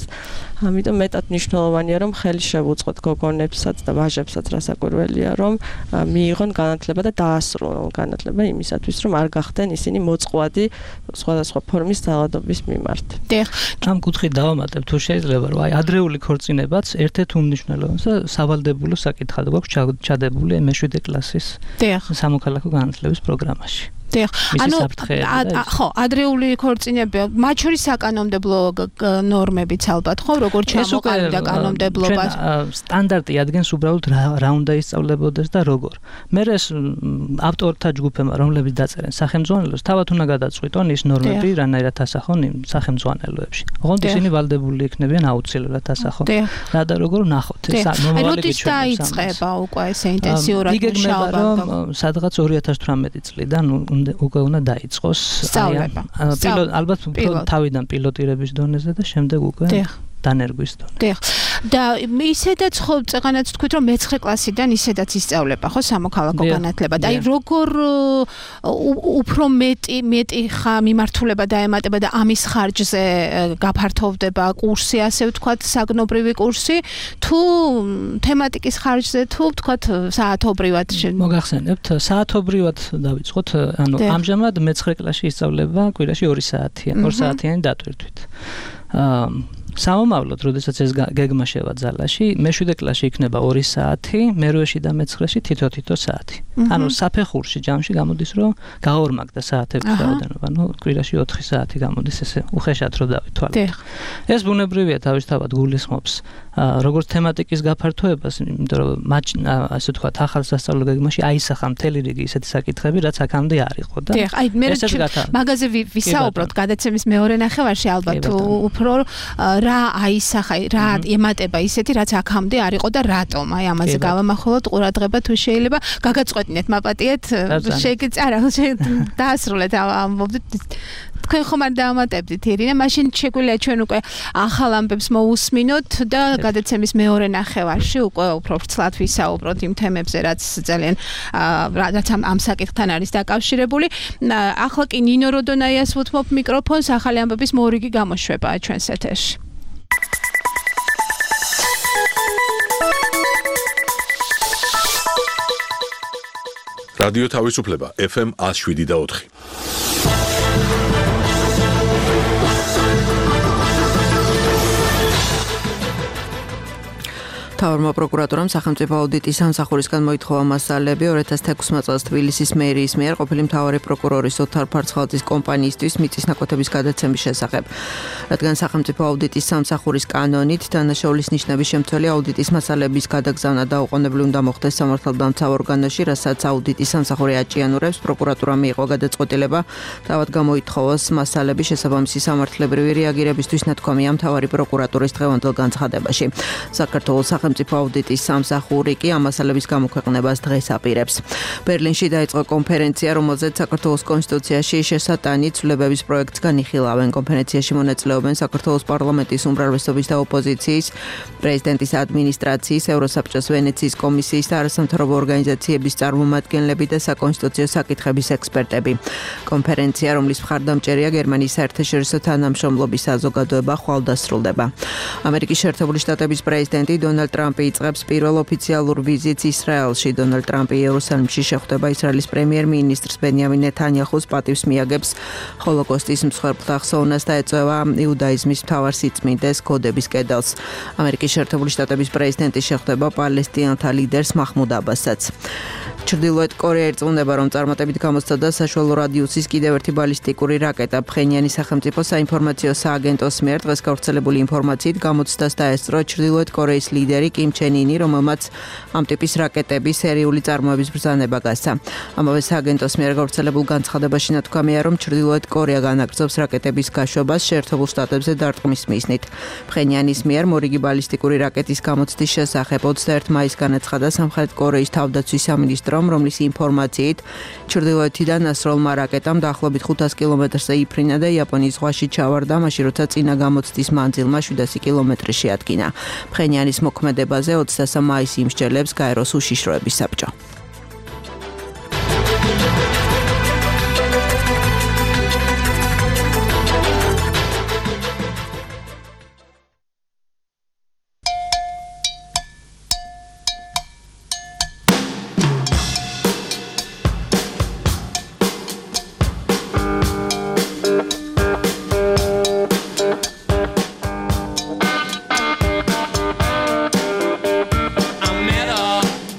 Speaker 7: ამიტომ მეტად მნიშვნელოვანია, რომ ხელი შევუწყოთ გოგონებსაც და ვაჟებსაც, რასაკვირველია, რომ მიიღონ განათლება და დაასრულონ განათლება იმისათვის, რომ არ გახდნენ ისინი მოწყვლადი სხვადასხვა ფორმის ძალადობის მიმართ.
Speaker 8: ამ კუთხით დავამატებ, თუ შეიძლება, რომ აი ადრეული ქორწინებაც ერთ-ერთ უმნიშვნელოვანეს და სავალდებულო საკითხად გვაქვს ჩადებული მეშვიდე კლასის სამოქალაქო განათლების პროგრამაში.
Speaker 3: დიახ, ანუ ხო, ადრეული ქორწინებები, მათ შორის საკანონმდებლო ნორმებიც ალბათ, ხო, როგორ ჩამოყალიბდა კანონმდებლობა.
Speaker 8: სტანდარტი ადგენს უბრალოდ რა უნდა ისწავლებოდეს და როგორ. მე ეს ავტორთა ჯგუფებმა, რომლებიც დაწერენ სახელმძღვანელოს, თავად უნდა გადაწყვიტონ ის ნორმები, რანაირად ასახონ იმ სახელმძღვანელოებში. ოღონდ ისინი ვალდებული იქნებიან აუცილებლად ასახონ. რა და როგორ ნახოთ, ეს მომავალი
Speaker 3: როდის დაიწყება უკვე ესე ინტენსიურად მუშაობა?
Speaker 8: სადღაც ორი ათას თვრამეტი წლიდან უკვე უნდა დაიწყოს
Speaker 3: სწავლება.
Speaker 8: ალბათ თავიდან პილოტირების დონეზე და შემდეგ უკვე დანერგვის დონეზე.
Speaker 3: დიახ. და ისედაც ხო წეღანაც თქვით, რომ მეცხრე კლასიდან ისედაც ისწავლება, ხო, სამოქალაქო განათლება. და აი როგორ უფრო მეტი მეტი ხა მიმართულება დაემატება და ამის ხარჯზე გაფართოვდება კურსი, ასე ვთქვათ, საგნობრივი კურსი, თუ თემატიკის ხარჯზე, თუ ვთქვათ, საათობრივად.
Speaker 8: მოგახსენებთ, საათობრივად დავიწყოთ, ანუ ამჟამად მეცხრე კლასში ისწავლება კვირაში ორი საათია, ორ საათიანი დატვირთვით. აა სამომავლოდ, როდესაც ეს გეგმა შევაძალაში, მეშვიდე კლასში იქნება ორი საათი, მერვეში და მეცხრეში თითო-თითო საათი. ანუ საფეხურში ჯამში გამოდის, რომ გაორმაგდა საათების რაოდენობა, ანუ კვირაში ოთხი საათი გამოდის, ესე უხეშად რო დავითვალოთ. ეს ბუნებრივია თავისთავად გულისხმობს როგორც თემატიკის გაფართოებას, იმიტომ რომ მათ ასე ვთქვათ, ახალ სასწავლო გეგმაში აისახა მთელი რიგი ისეთი საკითხები, რაც აქამდე არ იყო და
Speaker 3: დიახ, აი მე მაგაზე ვისაუბროთ გადაცემის მეორე ნახევარში ალბათ უფრო რა აისახა, რა ემატება ისეთი, რაც აქამდე არ იყო და რატომ? აი ამაზე გავამახვილოთ ყურადღება თუ შეიძლება გაგაწყვეტინეთ, მაპატიეთ, შეგეც არა, დაასრულეთ ამბობდით. თქვენ ხომ არ დაამატებდით, ირინა, მაშინ შეგვიძლია ჩვენ უკვე ახალ ამბებს მოусმინოთ და გადაცემის მეორე ნახევარში უკვე უფრო ვრცლად ვისაუბროთ იმ თემებზე, რაც ძალიან რაც ამ საკითხთან არის დაკავშირებული. ახლა კი ნინო როდონაიას ვუთმობ მიკროფონს, ახალი ამბების მორიგი გამოშვებაა ჩვენს ეთერში.
Speaker 1: რადიო თავისუფლება ეფ ემ one oh seven და four.
Speaker 2: თავრმა პროკურატურამ სახელმწიფო აუდიტის სამსახურისგან მოითხოვა მასალები two thousand sixteen წელს თბილისის მერიის მიერ ყოფილი მთავარი პროკურორის ოთარ ფარცხალაძის კომპანიისთვის მიწის ნაკვეთების გადაცემის შესახებ. რადგან სახელმწიფო აუდიტის სამსახურის კანონით დანაშაულის ნიშნების შემცველი აუდიტის მასალების გადაგზავნა დაუყოვნებლივ უნდა მოხდეს სამართალდამცავ ორგანოში, რასაც აუდიტის სამსახური აჭიანურებს, პროკურატურამ მიიღო გადაწყვეტილება თავად გამოითხოვოს მასალები შესაბამისი სამართლებრივი რეაგირებისთვის ნათქვამია მთავარი პროკურატურის დღევანდელ განცხადებაში. საქართველოს სახელმწიფო აუდიტის სამსახური კი ამ მასალების გამოქვეყნებას დღეს აპირებს. ბერლინში დაიწყო კონფერენცია, რომელზეც საქართველოს კონსტიტუციაში შესატანი ცვლილებების პროექტს განიხილავენ. კონფერენციაში მონაწილეობენ საქართველოს პარლამენტის უმრავლესობის და ოპოზიციის, პრეზიდენტის ადმინისტრაციის, ევროსაბჭოს ვენეციის კომისიის და არასამთავრობო ორგანიზაციების წარმომადგენლები და საკონსტიტუციო საკითხების ექსპერტები. კონფერენცია, რომლის მხარდამჭერია გერმანიის საერთაშორისო თანამშრომლობის საზოგადოება, ხვალ დასრულდება. ამერიკის შეერთებული შტატების პრეზიდენტი დონალდ ტრამპი იწყებს პირველ ოფიციალურ ვიზიტს ისრაელში. დონალდ ტრამპი იერუსალიმში შეხვდება ისრაელის პრემიერ-მინისტრს ბენიამინ ნეთანიაჰუს, პატივს მიაგებს ჰოლოკოსტის მსხვერპლთა ხსოვნას და ეწევა იუდაიზმის მთავარ სიწმინდეს კოდების კედელს. ამერიკის შეერთებული შტატების პრეზიდენტი შეხვდება პალესტინელთა ლიდერს მაჰმუდ აბასსაც. ჩრდილოეთ კორეა ირწმუნება, რომ წარმატებით გამოსცადა საშუალო რადიუსის კიდევ ერთი ბალისტიკური რაკეტა. ფხენიანის სახელმწიფო საინფორმაციო სააგენტოს მიერ დღეს გავრცელებული ინფორმაციით გამოცდას დაესწრო ჩრდილოეთ კორეის ლიდერი კიმ ჩენ ინი, რომელმაც ამ ტიპის რაკეტების სერიული წარმოების ბრძანება გასცა. ამავე სააგენტოს მიერ გავრცელებულ განცხადებაში ნათქვამია, რომ ჩრდილოეთ კორეა განაგრძობს რაკეტების გაშვებას შეერთებულ შტატებზე დარტყმის მიზნით. ფხენიანის მიერ მორიგი ბალისტიკური რაკეტის გამოცდის შესახებ ოცდაერთი მაისს განაცხადა სამხრეთ კორეის თავდაცვის სამინისტრო, რომლის ინფორმაციით ჩრდილოეთიდან ასროლმა რაკეტამ დაახლოებით ხუთას კილომეტრზე იფრინა და იაპონიის ზღვაში ჩავარდა, მაშინ როცა წინა გამოცდის მანძილმა შვიდასი კილომეტრი შეადგინა. ფხენიანის მოქმედებაზე ოცდასამ მაისს იმსჯელებს გაეროს უშიშროების საბჭო.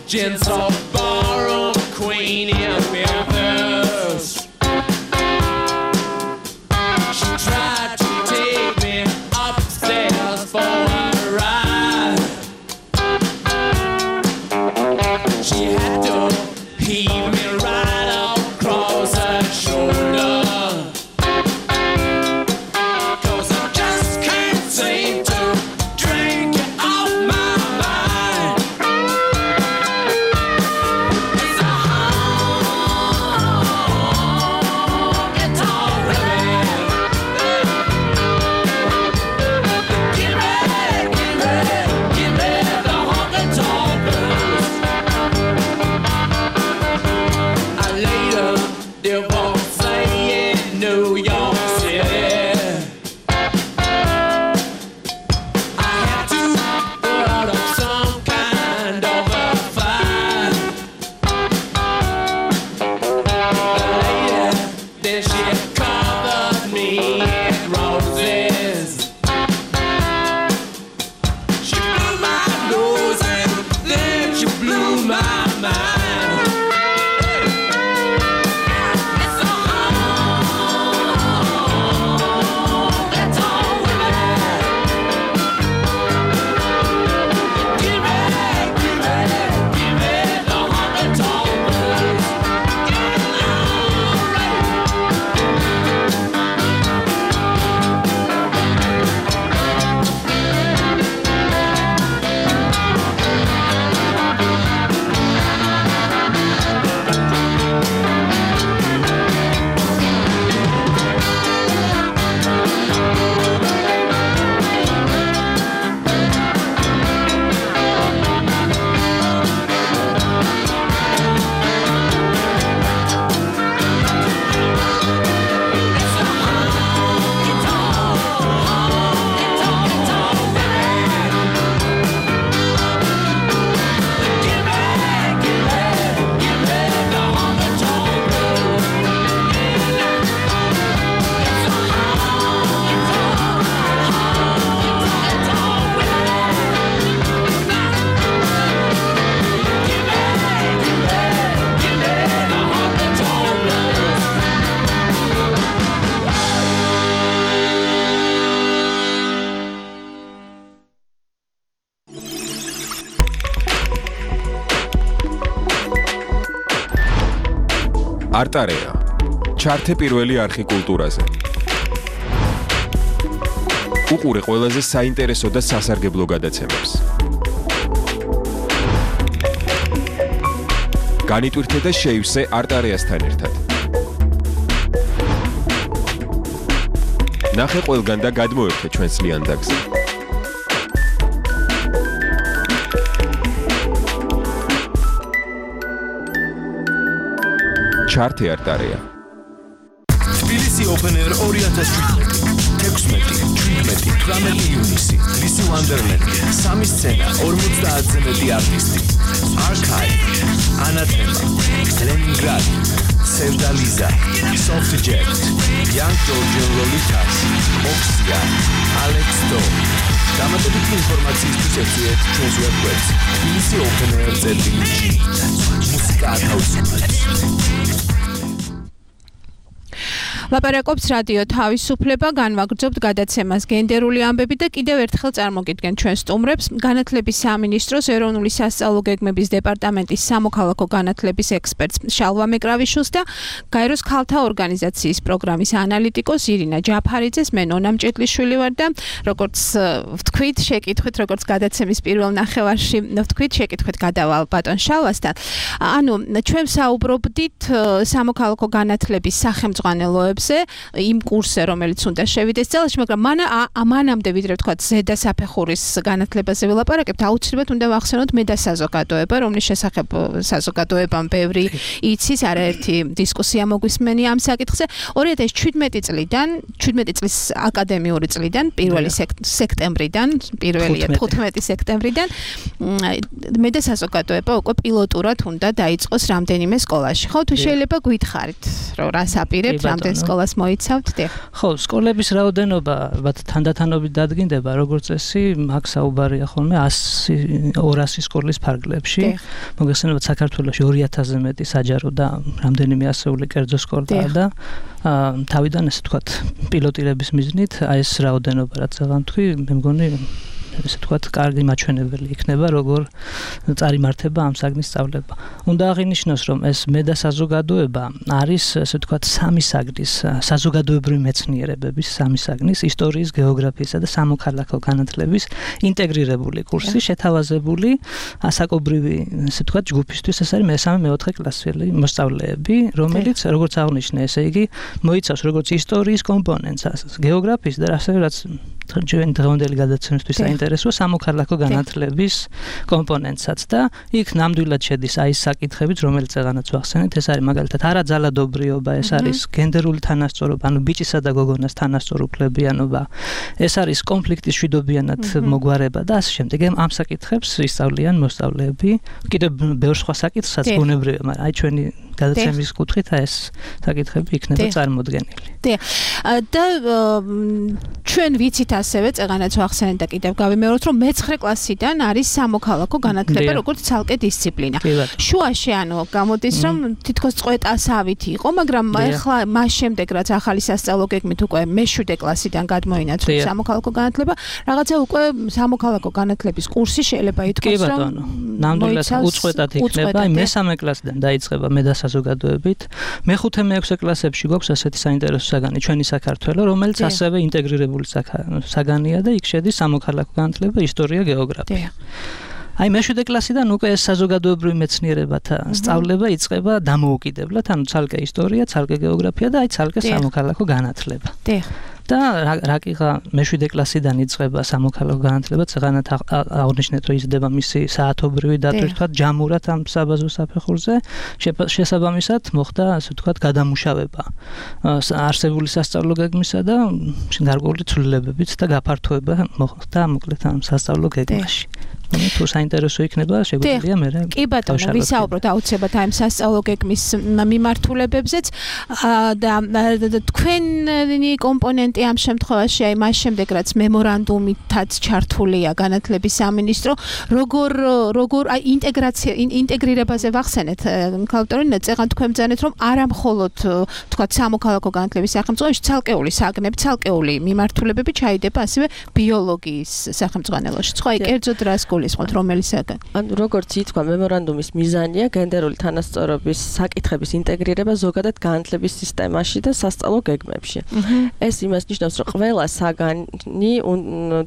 Speaker 9: Gents of
Speaker 5: არტარეა. ჩართე პირველი არხი კულტურაზე. უყურე ყველაზე საინტერესო და სასარგებლო გადაცემებს. განიტვირთე და შეივსე არტარეასთან ერთად. ნახე ყველგან და გადმოერთე ჩვენს ლიანდაგზე. ჩართე არტარეა.
Speaker 6: თბილისი Open Air ორი ათას შვიდმეტი, თექვსმეტი, შვიდმეტი, თვრამეტი ივნისი, ლისი ვანდერლენდი, სამი სცენა, ორმოცდაათზე მეტი არტისტი, Archive, Anathema, Leningrad, Sevda Liza, Soft Jet, Young Georgian Lolitas, Oxia, Alex Do. დამატებითი ინფორმაციისთვის ეწვიეთ ჩვენს ვებგვერდს თბილისი Open Air ზედი ჯი. მუსიკა ათავისუფლებს.
Speaker 3: ლაპარაკობს რადიო თავისუფლება, განვაგრძობთ გადაცემას გენდერული ამბები და კიდევ ერთხელ წარმოგიდგენთ ჩვენ სტუმრებს განათლების სამინისტროს ეროვნული სასწავლო გეგმების დეპარტამენტის სამოქალაქო განათლების ექსპერტს შალვა მეკრავიშვილს და გაეროს ქალთა ორგანიზაციის პროგრამის ანალიტიკოს ირინა ჯაფარიძეს. მე ნონა მჭედლიშვილი ვარ და როგორც ვთქვით, შეკითხვით, როგორც გადაცემის პირველ ნახევარში ვთქვით, შეკითხვით გადავალ ბატონ შალვასთან. ანუ ჩვენ საუბრობდით სამოქალაქო განათლების სახელმძღვანელოებს იმ კურსზე, რომელიც უნდა შევიდეს წელში, მაგრამ მან ამანამდე ვიდრე ვთქვათ ზედა საფეხურის განათლებაზე ვილაპარაკებთ, აუცილებლად უნდა ვახსენოთ მე და საზოგადოება, რომლის შესახებ საზოგადოებამ ბევრი იცის, არაერთი დისკუსია მოგვისმენი ამ საკითხზე. ორი ათას შვიდმეტი წლიდან, შვიდმეტი წლის აკადემიური წლიდან, პირველი სექტემბრიდან, პირველია თხუთმეტი სექტემბრიდან მე და საზოგადოება უკვე პილოტურად უნდა დაიწყოს რამდენიმე სკოლაში. ხო, თუ შეიძლება გითხარით, რომ რას აპირებთ, რამდენ სკოლას მოიცავთ?
Speaker 8: ხო, სკოლების რაოდენობა ალბათ თანდათანობით დადგინდება, როგორც წესი, აქ საუბარია ხოლმე ასი ორასი სკოლის ფარგლებში. მოგეხსენებათ, საქართველოში ორი ათასზე მეტი საჯარო და რამდენიმე ასეული კერძო სკოლაა და თავიდან ესე ვთქვათ, პილოტირების მიზნით აი ეს რაოდენობა რაც აღამთქვი, მე მგონი ესე ვთქვათ, კარგი მაჩვენებელი იქნება, როგორ წარიმართება ამ საგნის სწავლება. უნდა აღინიშნოს, რომ ეს მე და საზოგადოება არის, ესე ვთქვათ, სამი საგნის, საზოგადოებრივი მეცნიერებების სამი საგნის, ისტორიის, გეოგრაფიისა და სამოქალაქო განათლების ინტეგრირებული კურსი, შეთავაზებული ასაკობრივი, ესე ვთქვათ, ჯგუფისთვის. ეს არის მესამე, მეოთხე კლასელი მოსწავლეები, რომელიც, როგორც აღნიშნე, ესე იგი, მოიცავს როგორც ისტორიის კომპონენტს, გეოგრაფიის და ასევე რაც ჩვენ დღევანდელი გადაცემისთვის საინტერესოა სამოქალაქო განათლების კომპონენტსაც და იქ ნამდვილად შედის აი ეს საკითხებიც, რომელიც აღანაც ვახსენეთ, ეს არის მაგალითად არაძალადობრიობა, ეს არის გენდერული თანასწორობა, ანუ ბიჭისა და გოგონას თანასწორუფლებიანობა, ეს არის კონფლიქტის მშვიდობიანად მოგვარება და ასე შემდეგ. ამ საკითხებს ისწავლიან მოსწავლეები, კიდევ ბევრ სხვა საკითხსაც ბუნებრივია, მაგრამ აი ჩვენი გადაცემის კუთხით ეს საკითხები იქნება წარმოდგენილი.
Speaker 3: და ჩვენ ვიცით ასევე წეგანაც ვახსენეთ და კიდევ გავიმეოროთ, რომ მეცხრე კლასიდან არის სამოქალაქო განათლება, როგორც ცალკე დისციპლინა. შუაში ანუ გამოდის, რომ თითქოს წვეტასავით იყო, მაგრამ ახლა მას შემდეგ რაც ახალი სასწავლო გეგმით უკვე მეშვიდე კლასიდან გადმოინაცვლა სამოქალაქო განათლება, რაღაცა უკვე სამოქალაქო განათლების კურსი შეიძლება ითქვას, რომ
Speaker 8: ნამდვილად უწყვეტად იქნება, აი მესამე კლასიდან დაიწყება მე და საზოგადოებით. მეხუთე მეექვსე კლასებში გვაქვს ასეთი საინტერესო საგანი ჩვენი საქართველო, რომელიც ასევე ინტეგრირებული საგანია და იქ შედის სამოქალაქო განათლება, ისტორია, გეოგრაფია. აი მეშვიდე კლასიდან უკვე ეს საზოგადოებრივი მეცნიერებათა სწავლება იწყება დამოუკიდებლად, ანუ ცალკე ისტორია, ცალკე გეოგრაფია და აი ცალკე სამოქალაქო განათლება. და რაკიღა მეშვიდე კლასიდან იწყება სამოქალაქო განათლება, წეგანათ აღნიშნეთ, რომ იზრდება მისი საათობრივი დატვირთვა ჯამურად ამ საბაზო საფეხურზე, შესაბამისად მოხდა, ასე ვთქვათ, გადამუშავება არსებული სასწავლო გეგმისა და გარკვეული ცვლილებებით და გაფართოება მოხდა მოკლედ ამ სასწავლო გეგმაში. თუ საინტერესო იქნება, შეგვიძლია მე რა.
Speaker 3: კი ბატონო, ვისაუბროთ აუცილებლად ამ სასწავლო გეგმის მიმართულებებზეც და თქვენი კომპონენტი ამ შემთხვევაში აი მას შემდეგ რაც მემორანდუმითაც ჩართულია განათლების სამინისტრო, როგორ როგორ აი ინტეგრაცია ინტეგრირებაზე ვახსენეთ, ქალბატონო, წეგან თქვენ ბრძანეთ, რომ არა მხოლოდ თქვათ სამოქალაქო განათლების სახელმძღვანელოში ცალკეული საგნები, ცალკეული მიმართულებები ჩაიდება ასევე ბიოლოგიის სახელმძღვანელოში. სხვა აი კერძოდ რას გულისხმობთ, რომელისაგან?
Speaker 7: ანუ როგორც ითქვა, მემორანდუმის მიზანია გენდერული თანასწორობის საკითხების ინტეგრირება ზოგადად განათლების სისტემაში და სასწავლო გეგმებში. ეს იმას ნიშნავს, რომ ყველა საგანი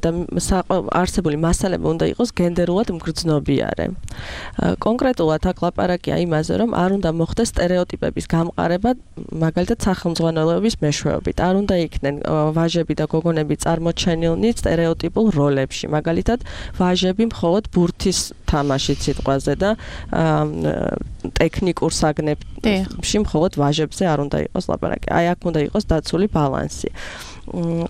Speaker 7: და არსებული მასალები უნდა იყოს გენდერულად მგრძნობიარე. კონკრეტულად აქ ლაპარაკია იმაზე, რომ არ უნდა მოხდეს სტერეოტიპების გამყარება, მაგალითად სახელმძღვანელოების მეშვეობით. არ უნდა იქნენ ვაჟები და გოგონები წარმოჩენილნი სტერეოტიპულ როლებში. მაგალითად, ვაჟები მხოლოდ ბურთის თამაშით სიტყვაზე და ტექნიკურ საგნებში მხოლოდ ვაჟებზე არ უნდა იყოს ლაპარაკი. აი აქ უნდა იყოს დაცული ბალანსი.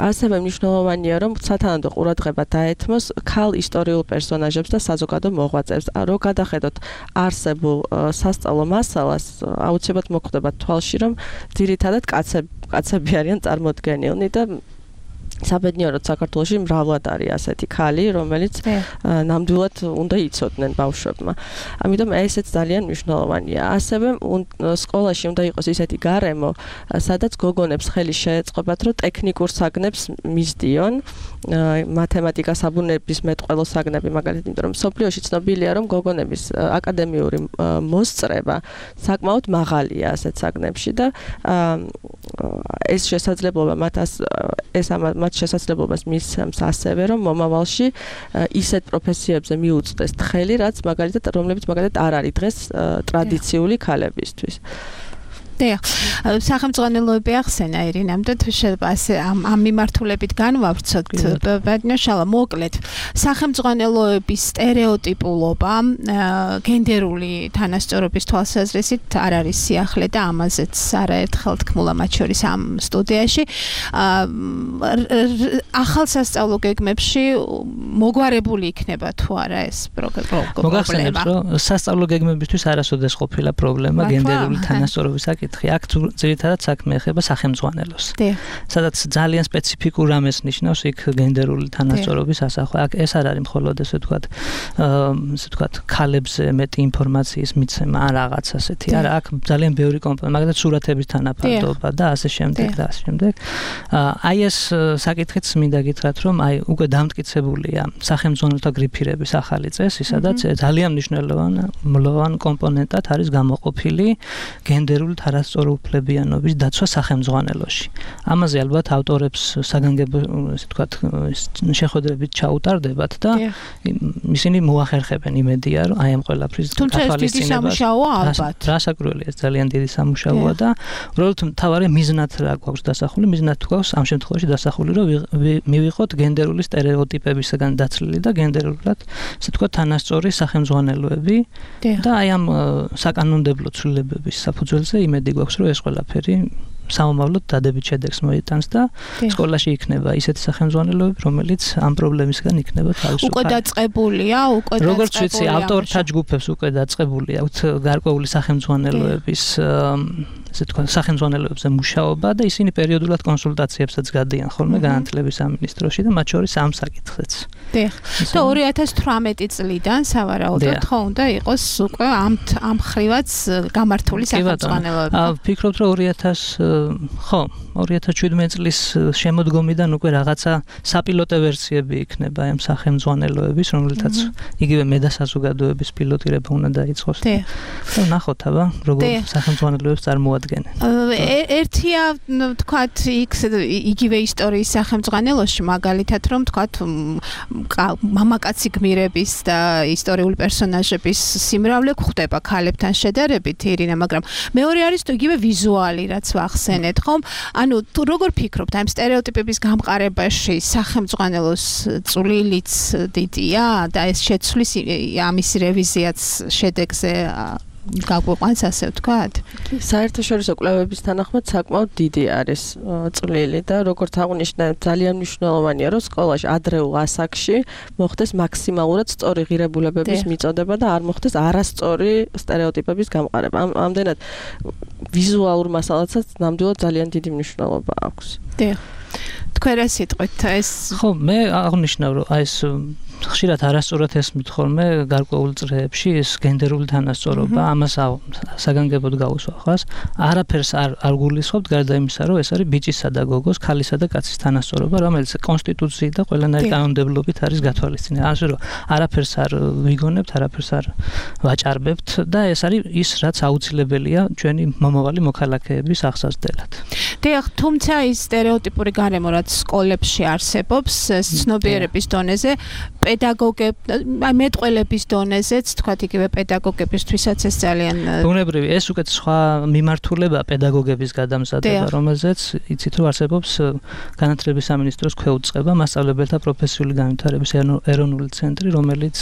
Speaker 7: ასევე მნიშვნელოვანია, რომ სათანადო ყურადღება დაეთმოს ქალ ისტორიულ პერსონაჟებს და საზოგადო მოღვაწეებს. რო გადახედოთ არსებულ სასწავლო მასალას, აუცილებლად მოხვდება თვალში, რომ ძირითადად კაცები კაცები არიან წარმოდგენილნი და საბედნიეროდ საქართველოში მრავლად არის ასეთი ქალი, რომელიც ნამდვილად უნდა იცოდნენ ბავშვებმა. ამიტომ ესეც ძალიან მნიშვნელოვანია. ასევე სკოლაში უნდა იყოს ისეთი გარემო, სადაც გოგონებს ხელი შეეწყობათ, რომ ტექნიკურ საგნებს მისდიონ, მათემატიკა, საბუნების მეტყველო საგნები, მაგალითად, იმიტომ რომ სოფლიოში ცნობილია, რომ გოგონების აკადემიური მოსწრება საკმაოდ მაღალია ასეთ საგნებში და ეს შესაძლებლობა მათ ეს მათ შესაძლებლობას მისცემს ასევე, რომ მომავალში ისეთ პროფესიებზე მიუწვდეს თხელი, რაც მაგალითად, რომლებიც მაგალითად არ არის დღეს ტრადიციული ქალებისთვის.
Speaker 3: დიახ, სახელმძღვანელოები ახსენა ირინამ და შეიძლება ასე ამ ამ მიმართულებით განვავრცოთ. ბატონშალა, მოკლედ, სახელმძღვანელოების სტერეოტიპულობა გენდერული თანასწორობის თვალსაზრისით არ არის სიახლე და ამაზეც არაერთხელ თქმულა მათ შორის ამ სტუდიაში. ახალ სასწავლო გეგმებში მოგვარებული იქნება თუ არა ეს პრობლემა?
Speaker 8: მოგახსენებთ, რომ სასწავლო გეგმებისთვის არასოდეს ყოფილა პრობლემა გენდერული თანასწორობის საკითხი. აქ ძირითადად საქმე ეხება სახელმძღვანელოს. სადაც ძალიან სპეციფიკურ რამეს ნიშნავს იქ გენდერული თანასწორობის ასახვა. აქ ეს არ არის მხოლოდ ესე ვთქვათ, ესე ვთქვათ, ქალებზე მეტი ინფორმაციის მიცემა, ან რაღაც ასეთი. არა, აქ ძალიან ბევრი კომპონენტი, მაგალითად სურათების თანაფარდობა და ასე შემდეგ და ასე შემდეგ. აი ეს საკითხიც მინდა გითხრათ, რომ აი უკვე დამტკიცებულია სახელმძღვანელოთა გრიფირების ახალი წესი, სადაც ძალიან მნიშვნელოვანი კომპონენტად არის გამოყოფილი გენდერული თანასწორუფლებიანობის დაცვა სახელმძღვანელოში. ამაზე ალბათ ავტორებს საგანგებო, ესე ვთქვათ, შეხვედრებით ჩაუტარდებათ და ისინი მოახერხებენ იმედია, რომ აი ამ ყველაფრის
Speaker 3: თვალისწინებას.
Speaker 8: რასაკვირველია, ეს ძალიან დიდი სამუშაოა და უბრალოდ მთავარი მიზნად რა გვაქვს დასახული, მიზნად თუ გვაქვს ამ შემთხვევაში დასახული, რომ მივიღოთ გენდერული სტერეოტიპებისგან დაცლილი და გენდერულად, ესე ვთქვათ, თანასწორი სახელმძღვანელოები და აი ამ საკანონმდებლო ცვლილებების საფუძველზე იმედი გვაქვს, რომ ეს ყველაფერი სამომავლოდ დადებით შედეგს მოიტანს და სკოლაში იქნება ისეთი სახელმძღვანელოები, რომელიც ამ პრობლემისგან იქნება თავისუფალი.
Speaker 3: უკვე დაწყებულია, უკვე დაწყებულია.
Speaker 8: როგორც ვიცი, ავტორთა ჯგუფებს უკვე დაწყებული აქვთ გარკვეული სახელმძღვანელოების ესე თქვა სახელმძღვანელოებზე მუშაობა და ისინი პერიოდულად კონსულტაციებსაც გადიან ხოლმე განათლების სამინისტროში და მათ შორის ამ საკითხზეც.
Speaker 3: დიახ. და ორი ათას თვრამეტი წლიდან სავარაუდოდ ხო უნდა იყოს უკვე ამ ამ ხრივაც გამართული სახელმძღვანელოები.
Speaker 8: ვფიქრობ, რომ ორი ათას ხო, ორი ათას შვიდმეტი წლის შემოდგომიდან უკვე რაღაცა საპილოტე ვერსიები იქნება ამ სახელმძღვანელოების, რომელთაც იგივე მე და საზოგადოების პილოტირება უნდა დაიწყოს. და ნახოთ აბა, როგორ სახელმძღვანელოებს წარმოადგენენ.
Speaker 3: ერთია, თქვათ, იქ იგივე ისტორიის სახელმძღვანელოში, მაგალითად, რომ თქვათ, მამაკაცი გმირების და ისტორიული პერსონაჟების სიმრავლე გვხდება ქალებთან შედარებით, ირინა, მაგრამ მეორე არის თუ იგივე ვიზუალი, რაც ვახსენეთ, ხომ? ანუ თუ როგორ ფიქრობთ, ამ სტერეოტიპების გამყარებაში სახელმძღვანელოს წვლილიც დიდია და ეს შეცვლის ამის რევიზიაც შედეგზე გაგვიყვანს, ასე ვთქვათ?
Speaker 7: საერთაშორისო კვლევების თანახმად საკმაოდ დიდი არის წვლილი და როგორც აღნიშნე, ძალიან მნიშვნელოვანია, რომ სკოლაში ადრეულ ასაკში მოხდეს მაქსიმალურად სწორი ღირებულებების მიწოდება და არ მოხდეს არასწორი სტერეოტიპების გამყარება. ამდენად ვიზუალურ მასალასაც ნამდვილად ძალიან დიდი მნიშვნელობა აქვს.
Speaker 3: დიახ. თქვენ რა სიტყვით ეს
Speaker 8: ხო მე აღნიშნავ რომ აი ეს ხშირად არასწორად ესმით ხოლმე გარკვეულ წრეებში ეს გენდერული თანასწორობა ამას საგანგებოდ გავუსვა ხას არაფერს არ არ გულისხმობთ გარდა იმისა რომ ეს არის ბიჭისა და გოგოს ქალისა და კაცის თანასწორობა რომელიც კონსტიტუციით და ყველანაირი კანონმდებლობით არის გათვალისწინებული ასე რომ არაფერს არ ვიგონებთ არაფერს არ ვაჭარბებთ და ეს არის ის რაც აუცილებელია ჩვენი მომავალი მოქალაქეების აღსაზრდელად
Speaker 3: დიახ თუმცა ის სტერეოტიპური გარემო რაც სკოლებში არსებობს ცნობიერების დონეზე პედაგოგებ აი მეტყველების დონეზეც თქვა იგივე პედაგოგებისთვისაც ეს ძალიან
Speaker 8: ბუნებრივი ეს უკეთ სხვა მიმართულება პედაგოგების გადამზადება რომელზეც იცით რომ არსებობს განათლების სამინისტროს ქვეუწყება მასწავლებელთა პროფესიული განვითარების ეროვნული ცენტრი რომელიც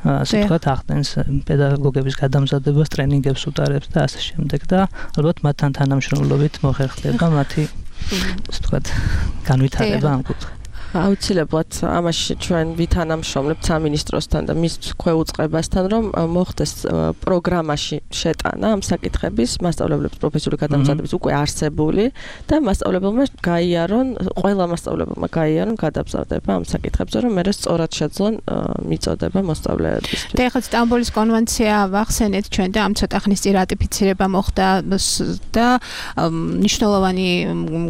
Speaker 8: ასე ვთქვათ ახდენს პედაგოგების გადამზადებას ტრენინგებს უტარებს და ასე შემდეგ და ალბათ მათთან თანამშრომლობით მოხერხდება მათი ასე ვთქვათ განვითარება ამ კუთხით
Speaker 7: აუცილებლად ამაში ჩვენ ვითანამშრომლებთ სამინისტროსთან და მის ქვეუწყებასთან რომ მოხდეს პროგრამაში შეტანა ამ საკითხების მასწავლებლების პროფესიული გადამზადების უკვე არსებული და მასწავლებელმა გაიარონ ყველა მასწავლებელმა გაიარონ გადამზადება ამ საკითხებზე რომ მე სწორად შეძლონ მიწოდება მოსწავლეებისთვის.
Speaker 3: და ეხლა სტამბოლის კონვენცია ვახსენეთ ჩვენ და ამ ცოტა ხნის წინ რატიფიცირება მოხდა და მნიშვნელოვანი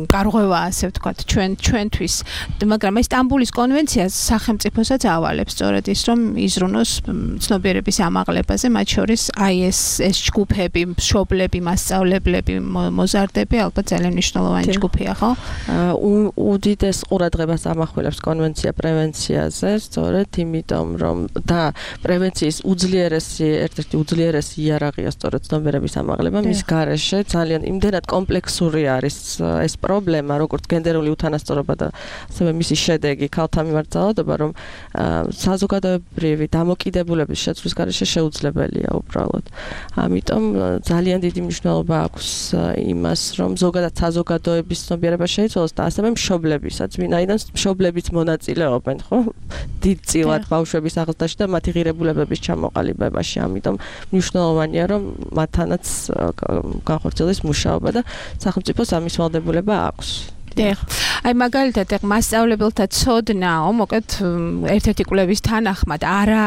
Speaker 3: გარღვევაა ასე ვთქვათ ჩვენ ჩვენთვის მაგრამ ეს სტამბოლის კონვენციას სახელმწიფოსაც ავალებს სწორედ ის რომ იზრუნოს ცნობიერების ამაღლებაზე მათ შორის აი ეს ეს ჯგუფები, მშობლები, მასწავლებლები, მოზარდები ალბათ ძალიან მნიშვნელოვანი ჯგუფია, ხო?
Speaker 7: უდიდეს ყურადღებას ამახვილებს კონვენცია პრევენციაზე, სწორედ იმიტომ რომ და პრევენციის უძლიერესი ერთ-ერთი უძლიერესი იარაღია სწორედ ცნობიერების ამაღლება მის გარეშე ძალიან იმდენად კომპლექსური არის ეს პრობლემა, როგორც გენდერული უთანასწორობა და ასევე მისი შედეგი ქალთა მიმართ ძალადობა, რომ საზოგადოებრივი დამოკიდებულების შეცვლის გარეშე შეუძლებელია უბრალოდ. ამიტომ ძალიან დიდი მნიშვნელობა აქვს იმას, რომ ზოგადად საზოგადოების ცნობიერება შეიცვალოს და ასევე მშობლებისაც, ვინაიდან მშობლებიც მონაწილეობენ, ხო? დიდწილად ბავშვების აღზრდაში და მათი ღირებულებების ჩამოყალიბებაში. ამიტომ მნიშვნელოვანია, რომ მათთანაც განხორციელდეს მუშაობა და სახელმწიფოს ამის ვალდებულება აქვს.
Speaker 3: დიახ. აი მაგალითად ეგ მასწავლებელთა ცოდნაო, მოკლედ ერთ-ერთი კვლევის თანახმად არა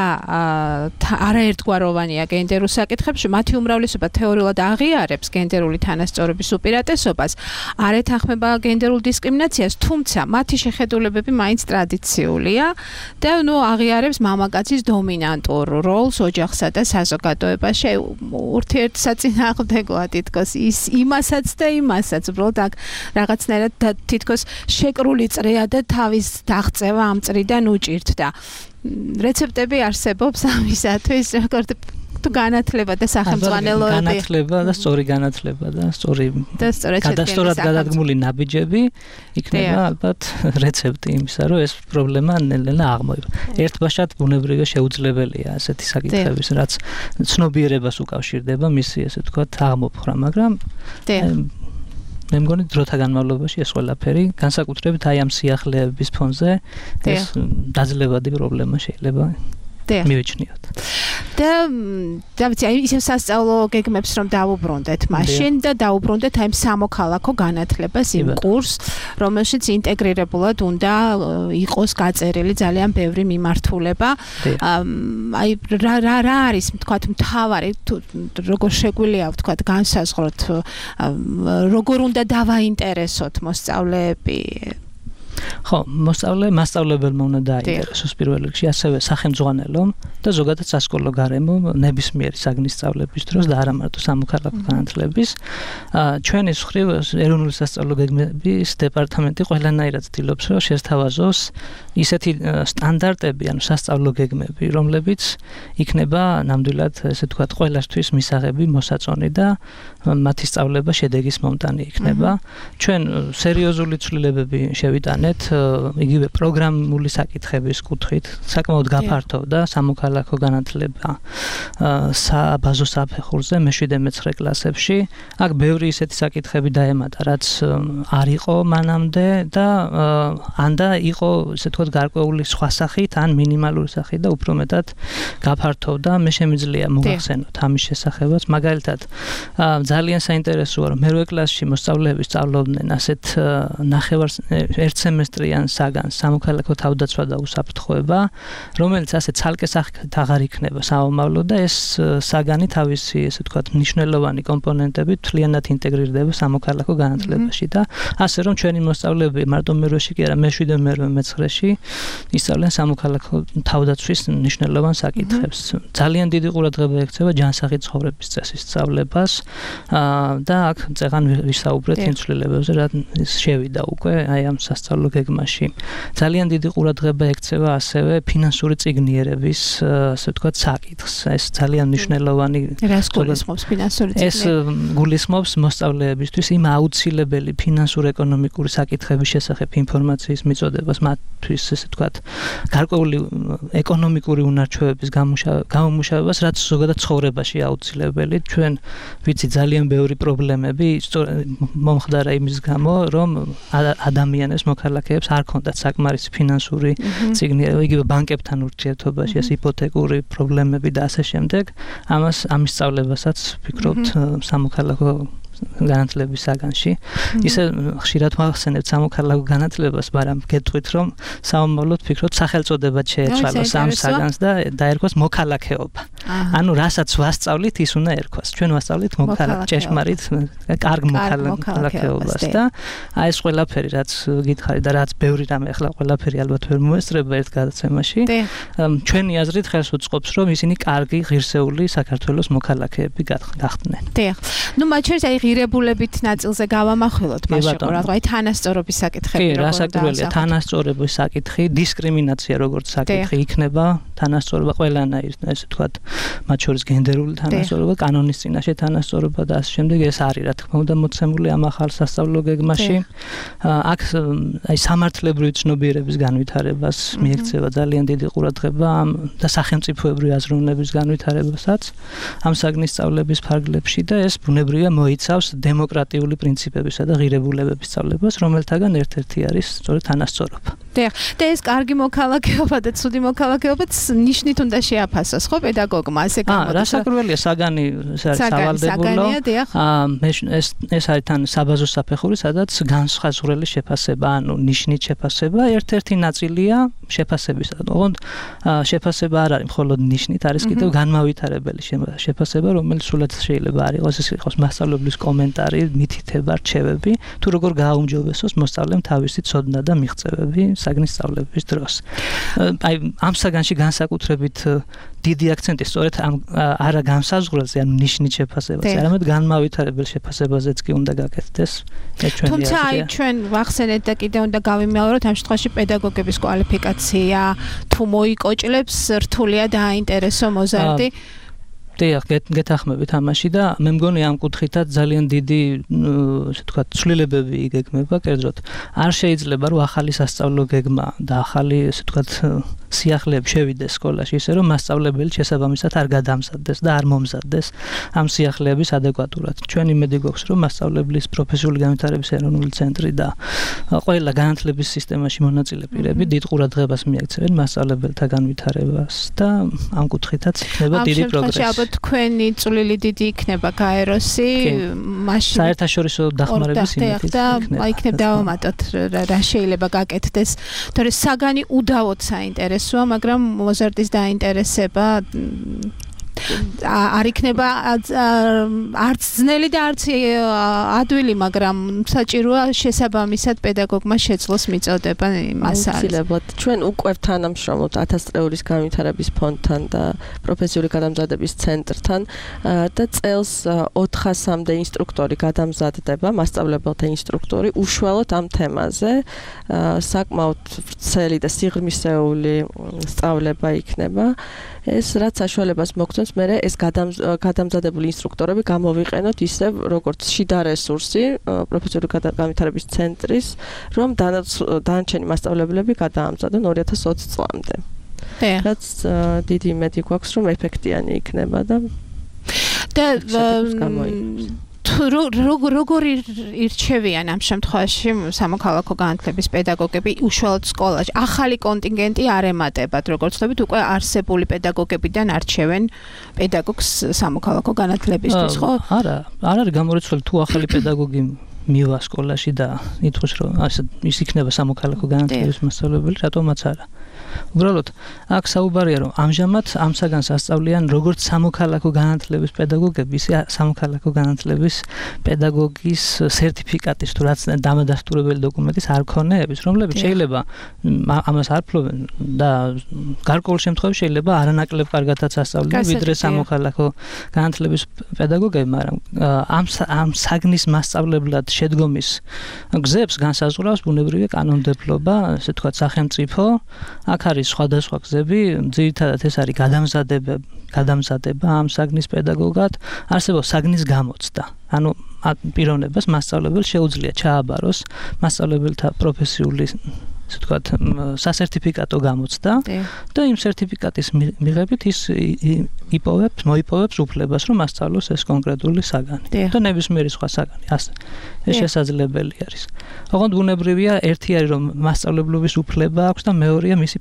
Speaker 3: არაერთგვაროვანია გენდერულ საკითხებში, მათი უმრავლესობა თეორიულად აღიარებს გენდერული თანასწორობის უპირატესობას, არ ეთანხმება გენდერულ დისკრიმინაციას, თუმცა მათი შეხედულებები მაინც ტრადიციულია და ნუ აღიარებს მამაკაცის დომინანტურ როლს ოჯახსა და საზოგადოებაში. ურთიერთსაწინააღმდეგოა თითქოს ის იმასაც და იმასაც, უბრალოდ აქ რაღაცნაირად თითქოს შეკრული წრეა და თავის დაღწევა ამ წრიდან უჭირთდა. რეცეპტები არსებობს ამისათვის, როგორც თუ განათლება და სახელმძღვანელოები.
Speaker 8: განათლება და სწორი განათლება და სწორი გადასწორად გადადგმული ნაბიჯები იქნება ალბათ რეცეპტი იმისა, რომ ეს პრობლემა ნელ-ნელა აღმოივა. ერთბაშად ბუნებრივია შეუძლებელია ასეთი საკითხების, რაც ცნობიერებას უკავშირდება მისი ესე ვთქვათ აღმოფხვრა, მაგრამ მე მგონი დროთა განმავლობაში ეს ყველაფერი განსაკუთრებით აი ამ სიახლეების ფონზე ეს დაძლებადი პრობლემა შეიძლება მივიჩნიოთ.
Speaker 3: და და ვიცი აი ისევ სასწავლო გეგმებს რომ დავუბრუნდეთ მაშინ და დავუბრუნდეთ აი სამოქალაქო განათლებას იმ კურსს, რომელშიც ინტეგრირებულად უნდა იყოს გაწერილი ძალიან ბევრი მიმართულება. აი რა რა რა არის თქვათ მთავარი როგორ შეგვიძლია ვთქვათ განსაზღვროთ როგორ უნდა დავაინტერესოთ მოსწავლეები
Speaker 8: ხო, მოსწავლე მასწავლებელმა უნდა დააინტერესოს პირველ რიგში, ასევე სახელმძღვანელომ და ზოგადად სასკოლო გარემო ნებისმიერი საგნის სწავლების დროს და არა მარტო სამოქალაქო განათლების. ჩვენი მხრივ ეროვნული სასწავლო გეგმების დეპარტამენტი ყველანაირად ცდილობს, რომ შესთავაზოს ისეთი სტანდარტები, ანუ სასწავლო გეგმები, რომლებიც იქნება ნამდვილად, ესე ვთქვათ, ყველასთვის მისაღები, მოსაწონი და მათი სწავლება შედეგის მომტანი იქნება. ჩვენ სერიოზული ცვლილებები შევიტანეთ მივიღეთ იგივე პროგრამული საკითხების კუთხით, საკმაოდ გაფართოვდა სამოქალაქო განათლება საბაზო საფეხურზე მეშვიდე მეცხრე კლასებში. აქ ბევრი ისეთი საკითხები დაემატა, რაც არ იყო მანამდე და ან და იყო ესე ვთქვათ გარკვეული სხვა სახით, ან მინიმალური სახით და უფრო მეტად გაფართოვდა. მე შემიძლია მოგახსენოთ ამის შესახებაც, მაგალითად ძალიან საინტერესოა, რომ მერვე კლასში მოსწავლეები სწავლობდნენ ასეთ ნახევარ ერთ სემესტრიან საგანს სამოქალაქო თავდაცვა და უსაფრთხოება, რომელიც ასე ცალკე სახით აღარ იქნება საომავლო და ეს საგანი თავისი ესე ვთქვათ მნიშვნელოვანი კომპონენტებით მთლიანად ინტეგრირდება სამოქალაქო განათლებაში და ასე რომ ჩვენი მოსწავლეები მარტო მერვეში კი არა, მეშვიდე მერვე მეცხრეში ისწავლენ სამოქალაქო თავდაცვის მნიშვნელოვან საკითხებს. ძალიან დიდი ყურადღება ექცევა ჯანსაღი ცხოვრების წესის სწავლებას და აქ წეღან ვისაუბრეთ იმ ცვლილებებზე, რაც შევიდა უკვე აი ამ სასწავლო გეგმაში. ძალიან დიდი ყურადღება ექცევა ასევე ფინანსური წიგნიერების, ასე ვთქვათ, საკითხს. ეს ძალიან მნიშვნელოვანი
Speaker 3: რას გულისხმობს ფინანსური წიგნი?
Speaker 8: ეს გულისხმობს მოსწავლეებისთვის იმ აუცილებელი ფინანსურ-ეკონომიკური საკითხების შესახებ ინფორმაციის მიწოდებას, მათთვის, ესე ვთქვათ, გარკვეული ეკონომიკური უნარჩვევების გამომუშავებას, რაც ზოგადად ცხოვრებაში აუცილებელი. ჩვენ ვიცით ძალიან ბევრი პრობლემები მომხდარა იმის გამო, რომ ადამიანებს, მოქალაქეებს არ ქონდათ საკმარისი ფინანსური წიგნიერება, იგივე ბანკებთან ურთიერთობაში, ეს იპოთეკური პრობლემები და ასე შემდეგ. ამას ამის სწავლებასაც ვფიქრობთ სამოქალაქო განათლების საგანში. ისე ხშირად ვახსენებთ სამოქალაქო განათლებას, მაგრამ გეტყვით, რომ საომავლოდ ვფიქრობთ სახელწოდებად შეეცვალოს ამ საგანს და დაერქვას მოქალაქეობა. ანუ რასაც ვასწავლით, ის უნდა ერქვას. ჩვენ ვასწავლით მოქალაქე, ჭეშმარიტ, კარგ მოქალაქეობას და აი ეს ყველაფერი, რაც გითხარი და რაც ბევრი რამე ახლა ყველაფერი ალბათ ვერ მოესწრება ერთ გადაცემაში. ჩვენი აზრით ხელს უწყობს, რომ ისინი კარგი, ღირსეული საქართველოს მოქალაქეები გახდნენ.
Speaker 3: დიახ. ნუ მათ შორის აი ღირებულებით ნაწილზე გავამახვილოთ მასში ყურადღება, აი თანასწორობის საკითხები
Speaker 8: როგორ დასაკურველია, თანასწორობის საკითხი, დისკრიმინაცია როგორც საკითხი იქნება, თანასწორობა ყველანაირ, ესე ვთქვათ, მათ შორის გენდერული თანასწორობა, კანონის წინაშე თანასწორობა და ასე შემდეგ, ეს არის რა თქმა უნდა მოცემული ამ ახალ სასწავლო გეგმაში. აქ აი სამართლებრივი ცნობიერების განვითარებას მიექცევა ძალიან დიდი ყურადღება და სახელმწიფოებრივი აზროვნების განვითარებასაც ამ საგნის სწავლების ფარგლებში და ეს ბუნებრივია მოიცავს დემოკრატიული პრინციპებისა და ღირებულებების სწავლებას, რომელთაგან ერთ-ერთი არის სწორედ თანასწორობა.
Speaker 3: დიახ, და ეს კარგი მოქალაქეობა და ცუდი მოქალაქეობაც ნიშნით უნდა შეაფასოს, ხო, პედაგოგმა, ასე გამოდის.
Speaker 8: აა, რასაკვირველია, საგანი სავალდებულო. ეს ეს არის თან საბაზო საფეხური, სადაც განსხაზღვრელი შეფასება, ანუ ნიშნით შეფასება, ერთ-ერთი ნაწილია შეფასებისა. ოღონდ შეფასება არ არის მხოლოდ ნიშნით, არის კიდევ განმავითარებელი შეფასება, რომელიც სულაც შეიძლება არ იყოს, ეს იყოს მასწავლებლის კომენტარი, მითითება, რჩევები, თუ როგორ გააუმჯობესოს მოსწავლემ თავისი ცოდნა და მიღწევები საგნის სწავლების დროს. აი ამ საგანში განსაკუთრებით დიდი აქცენტი სწორედ ამ არა განსაზღვრელზე, ანუ ნიშნით შეფასებაზე, არამედ განმავითარებელ შეფასებაზეც კი უნდა გაკეთდეს. ეს ჩვენი აზრია.
Speaker 3: თუმცა აი ჩვენ ვახსენეთ და კიდევ უნდა გავიმეოროთ ამ შემთხვევაში პედაგოგების კვალიფიკაცია თუ მოიკოჭლებს, რთულია დააინტერესო მოზარდი.
Speaker 8: დიახ, გეთახმებით ამაში და მე მგონი ამ კუთხითაც ძალიან დიდი, ასე ვთქვათ, ცვლილებები იგეგმება, კერძოდ არ შეიძლება რომ ახალი სასწავლო გეგმა და ახალი, ასე ვთქვათ, სიახლეები შევიდეს სკოლაში, ისე რომ მასწავლებელი შესაბამისად არ გადამზადდეს და არ მომზადდეს ამ სიახლეების ადეკვატურად. ჩვენ იმედი გვაქვს, რომ მასწავლებლის პროფესიული განვითარების ეროვნული ცენტრი და ყველა განათლების სისტემაში მონაწილე პირები დიდ ყურადღებას მიექცევენ მასწავლებელთა განვითარებას და ამ კუთხითაც იქნება დიდი პროგრესი.
Speaker 3: თქვენი წვლილი დიდი იქნება გაეროსი, მაშინ
Speaker 8: საერთაშორისო დახმარების იმედით
Speaker 3: და იქნება დავამატოთ რა შეიძლება გაკეთდეს. თორე საგანი უდავოდ საინტერესოა, მაგრამ მოზარდის დაინტერესება არ იქნება არც ძნელი და არც ადვილი, მაგრამ საჭიროა შესაბამისად პედაგოგმა შეძლოს მიწოდება იმას არის.
Speaker 7: აუცილებლად ჩვენ უკვე თანამშრომლობთ ათას წლეულის განვითარების ფონდთან და პროფესიული გადამზადების ცენტრთან და წელს ოთხასამდე ინსტრუქტორი გადამზადდება, მასწავლებელთა ინსტრუქტორი უშუალოდ ამ თემაზე. საკმაოდ ვრცელი და სიღრმისეული სწავლება იქნება. ეს რაც საშუალებას მოგცემს მე ეს გადამზადებული ინსტრუქტორები გამოვიყენოთ ისევ როგორც შიდა რესურსი პროფესიული განვითარების ცენტრის რომ დანარჩენი მასწავლებლები გადაამზადონ ორი ათას ოცი წლამდე. რაც დიდი იმედი გვაქვს რომ ეფექტიანი იქნება და
Speaker 3: და როგორი ირჩევიან ამ შემთხვევაში სამოქალაქო განათლების პედაგოგები უშუალოდ სკოლაში ახალი კონტინგენტი არ ემატებათ როგორც ვთქვით უკვე არსებული პედაგოგებიდან არჩევენ პედაგოგს სამოქალაქო განათლებისთვის ხო?
Speaker 8: არა, არ არის გამორიცხული თუ ახალი პედაგოგი მივა სკოლაში და ითქვას რომ ასე ის იქნება სამოქალაქო განათლების მასწავლებელი, რატომაც არა. უბრალოდ აქ საუბარია რომ ამჟამად ამ საგანს ასწავლიან როგორც სამოქალაქო განათლების პედაგოგები, ისე სამოქალაქო განათლების პედაგოგის სერტიფიკატის თუ რაც დამადასტურებელი დოკუმენტის არქონეების, რომლებიც შეიძლება ამას არ ფლობენ და გარკვეულ შემთხვევაში შეიძლება არანაკლებ კარგადაც ასწავლიან ვიდრე სამოქალაქო განათლების პედაგოგები, მაგრამ ამ ამ საგნის მასწავლებლად შედგომის გზებს განსაზღვრავს ბუნებრივი კანონმდებლობა, ასე ვთქვათ, სახელმწიფო. აქ არის სხვადასხვა გზები, ძირითადად ეს არის გადამზადება, გადამზადება ამ საგნის პედაგოგად, არსებობს საგნის გამოცდა. ანუ პიროვნებას მასწავლებელს შეუძლია ჩააბაროს მასწავლებელთა პროფესიული ასე ვთქვათ, სასერტიფიკატო გამოცდა და იმ სერტიფიკატის მიღებით ის იპოვებს, მოიპოვებს უფლებას, რომ მასწავლოს ეს კონკრეტული საგანი. და ნებისმიერი სხვა საგანი, ასე. ეს შესაძლებელი არის. ოღონდ ბუნებრივია, ერთი არის რომ მასწავლებლობის უფლება აქვს და მეორეა მისი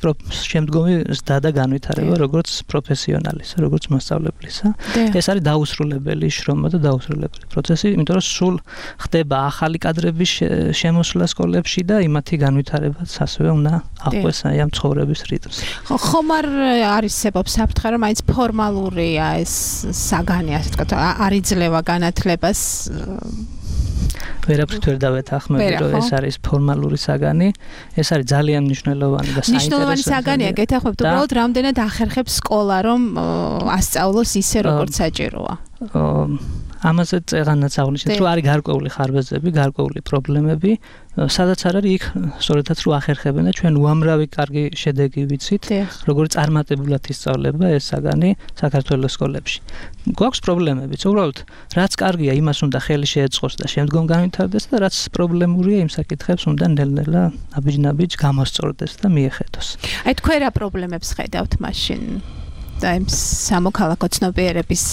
Speaker 8: შემდგომი ზრდა და განვითარება როგორც პროფესიონალისა, როგორც მასწავლებლისა. ეს არის დაუსრულებელი შრომა და დაუსრულებელი პროცესი, იმიტომ რომ სულ ხდება ახალი კადრების შემოსვლა სკოლებში და იმათი განვითარებაც ასევე უნდა აყვეს აი ამ ცხოვრების რიტმს.
Speaker 3: ხო, ხომ არ არისებობს საფრთხე, რომ მაინც ფორმალურია ეს საგანი, ასე ვთქვათ, არ იძლევა განათლებას
Speaker 8: ვერაფრით ვერ დავეთანხმები, რომ ეს არის ფორმალური საგანი, ეს არის ძალიან მნიშვნელოვანი და საინტერესო.
Speaker 3: მნიშვნელოვანი საგანია, გეთანხმებთ, უბრალოდ რამდენად ახერხებს სკოლა, რომ ასწავლოს ისე, როგორც საჭიროა.
Speaker 8: ამაზე წერანაც აღნიშნეთ, რომ არის გარკვეული ხარბეზები, გარკვეული პრობლემები, სადაც არ არის იქ სწორედაც რო ახერხებენ და ჩვენ უამრავი კარგი შედეგი ვიცით, როგორ წარმატებულად ისწავლება ეს საგანი საქართველოს სკოლებში. გვაქვს პრობლემებიც, უბრალოდ რაც კარგია, იმას უნდა ხელი შეეწყოს და შემდგომ განვითარდეს და რაც პრობლემურია, იმ საკითხებს უნდა ნელ-ნელა აბიჯ-ნაბიჯ გამოსწორდეს და მიეხედოს.
Speaker 3: აი თქვენ რა პრობლემებს ხედავთ მაშინ? და იმ სამოქალაქო ცნობიერების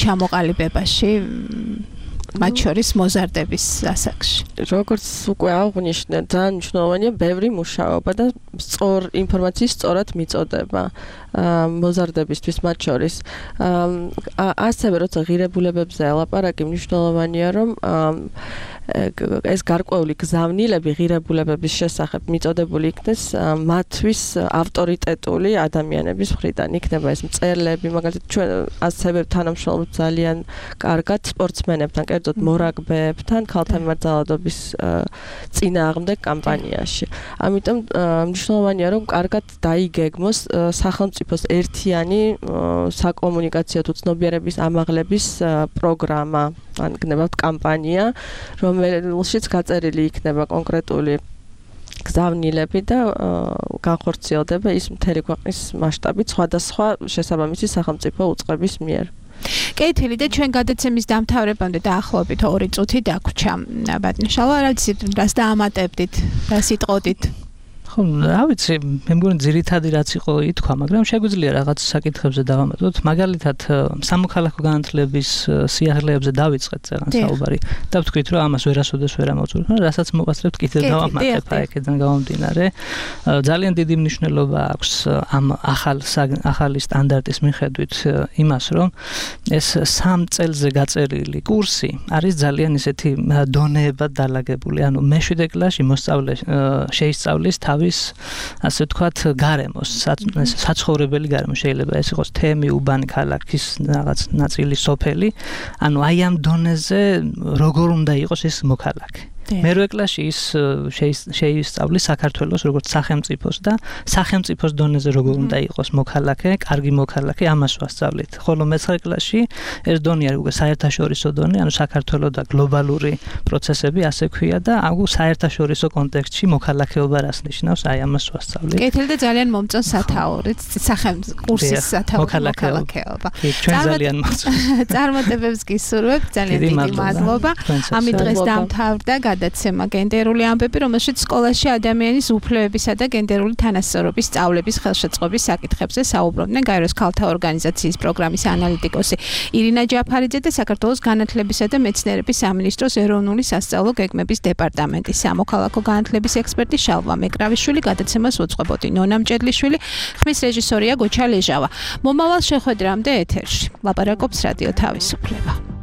Speaker 3: ჩამოყალიბებაში მათ შორის მოზარდების ასაკში.
Speaker 7: როგორც უკვე აღნიშნე, ძალიან მნიშვნელოვანია ბევრი მუშაობა და სწორ ინფორმაციის სწორად მიწოდება მოზარდებისთვის მათ შორის. ასევე როცა ღირებულებებზე ელაპარაკი, მნიშვნელოვანია რომ ეს გარკვეული გზავნილები ღირებულებების შესახებ მიწოდებული იქნეს მათთვის ავტორიტეტული ადამიანების მხრიდან. იქნება ეს მწერლები, მაგალითად ჩვენ ასევე თანამშრომლობთ ძალიან კარგად სპორტსმენებთან, კერძოდ მორაგბეებთან, ქალთა მიმართ წინააღმდეგ კამპანიაში. ამიტომ მნიშვნელოვანია რომ კარგად დაიგეგმოს სახელმწიფოს ერთიანი საკომუნიკაციო თუ ცნობიერების ამაღლების პროგრამა, ან გნებავთ კამპანია, რომელშიც გაწერილი იქნება კონკრეტული გზავნილები და განხორციელდება ის მთელი ქვეყნის მასშტაბით სხვადასხვა შესაბამისი სახელმწიფო უწყების მიერ.
Speaker 3: კეთილი და ჩვენ გადაცემის დამთავრებამდე დაახლოებით ორი წუთი დაგვრჩა. ბატონიშალვა, რა ვიცი, რას დაამატებდით, რას იტყოდით?
Speaker 8: ხო, რა ვიცი, მე მგონი ძირითადი რაც იყო ითქვა, მაგრამ შეგვიძლია რაღაც საკითხებზე დავამატოთ. მაგალითად, სამოქალაქო განათლების სიახლეებზე დავიწყეთ წერან საუბარი და ვთქვით, რომ ამას ვერასოდეს ვერ ამოვწურთ, რასაც მოვასწრებთ კიდევ დავამატებ აქედან გამომდინარე. ძალიან დიდი მნიშვნელობა აქვს ამ ახალ ახალი სტანდარტის მიხედვით იმას, რომ ეს სამ წელზე გაწერილი კურსი არის ძალიან ისეთი დონეებად დალაგებული. ანუ მეშვიდე კლასში მოსწავლე შეისწავლის თავის ასე ვთქვათ გარემოს, საცხოვრებელი გარემო, შეიძლება ეს იყოს თემი, უბანი, ქალაქის რაღაც ნაწილი, სოფელი. ანუ აი ამ დონეზე როგორ უნდა იყოს ეს მოქალაქე. მერვე კლასში ის შეისწავლის საქართველოს როგორც სახელმწიფოს და სახელმწიფოს დონეზე როგორ უნდა იყოს მოქალაქე, კარგი მოქალაქე, ამას ვასწავლით. ხოლო მეცხრე კლასში ეს დონე არის უკვე საერთაშორისო დონე, ანუ საქართველოს და გლობალური პროცესები, ასე ქვია და აგუ საერთაშორისო კონტექსტში მოქალაქეობა რას ნიშნავს, აი ამას ვასწავლით.
Speaker 3: კეთილი და ძალიან მომწონს სათაურით, სახელმწიფო კურსის სათაური მოქალაქეობა.
Speaker 8: ჩვენ ძალიან მომწონს.
Speaker 3: წარმატებებს გისურვებთ, ძალიან დიდი მადლობა. ამით დღეს დამთავრდა გადაცემა გენდერული ამბები, რომელშიც სკოლაში ადამიანის უფლებებისა და გენდერული თანასწორობის სწავლების ხელშეწყობის საკითხებზე საუბრობდნენ გაეროს ქალთა ორგანიზაციის პროგრამის ანალიტიკოსი ირინა ჯაფარიძე და საქართველოს განათლებისა და მეცნიერების სამინისტროს ეროვნული სასწავლო გეგმების დეპარტამენტის სამოქალაქო განათლების ექსპერტი შალვა მეკრავიშვილი, გადაცემას უძღვებოდი ნონა მჭედლიშვილი, ხმის რეჟისორია გოჩა ლეჟავა. მომავალ შეხვედრამდე ეთერში ლაპარაკობს რადიო თავისუფლება.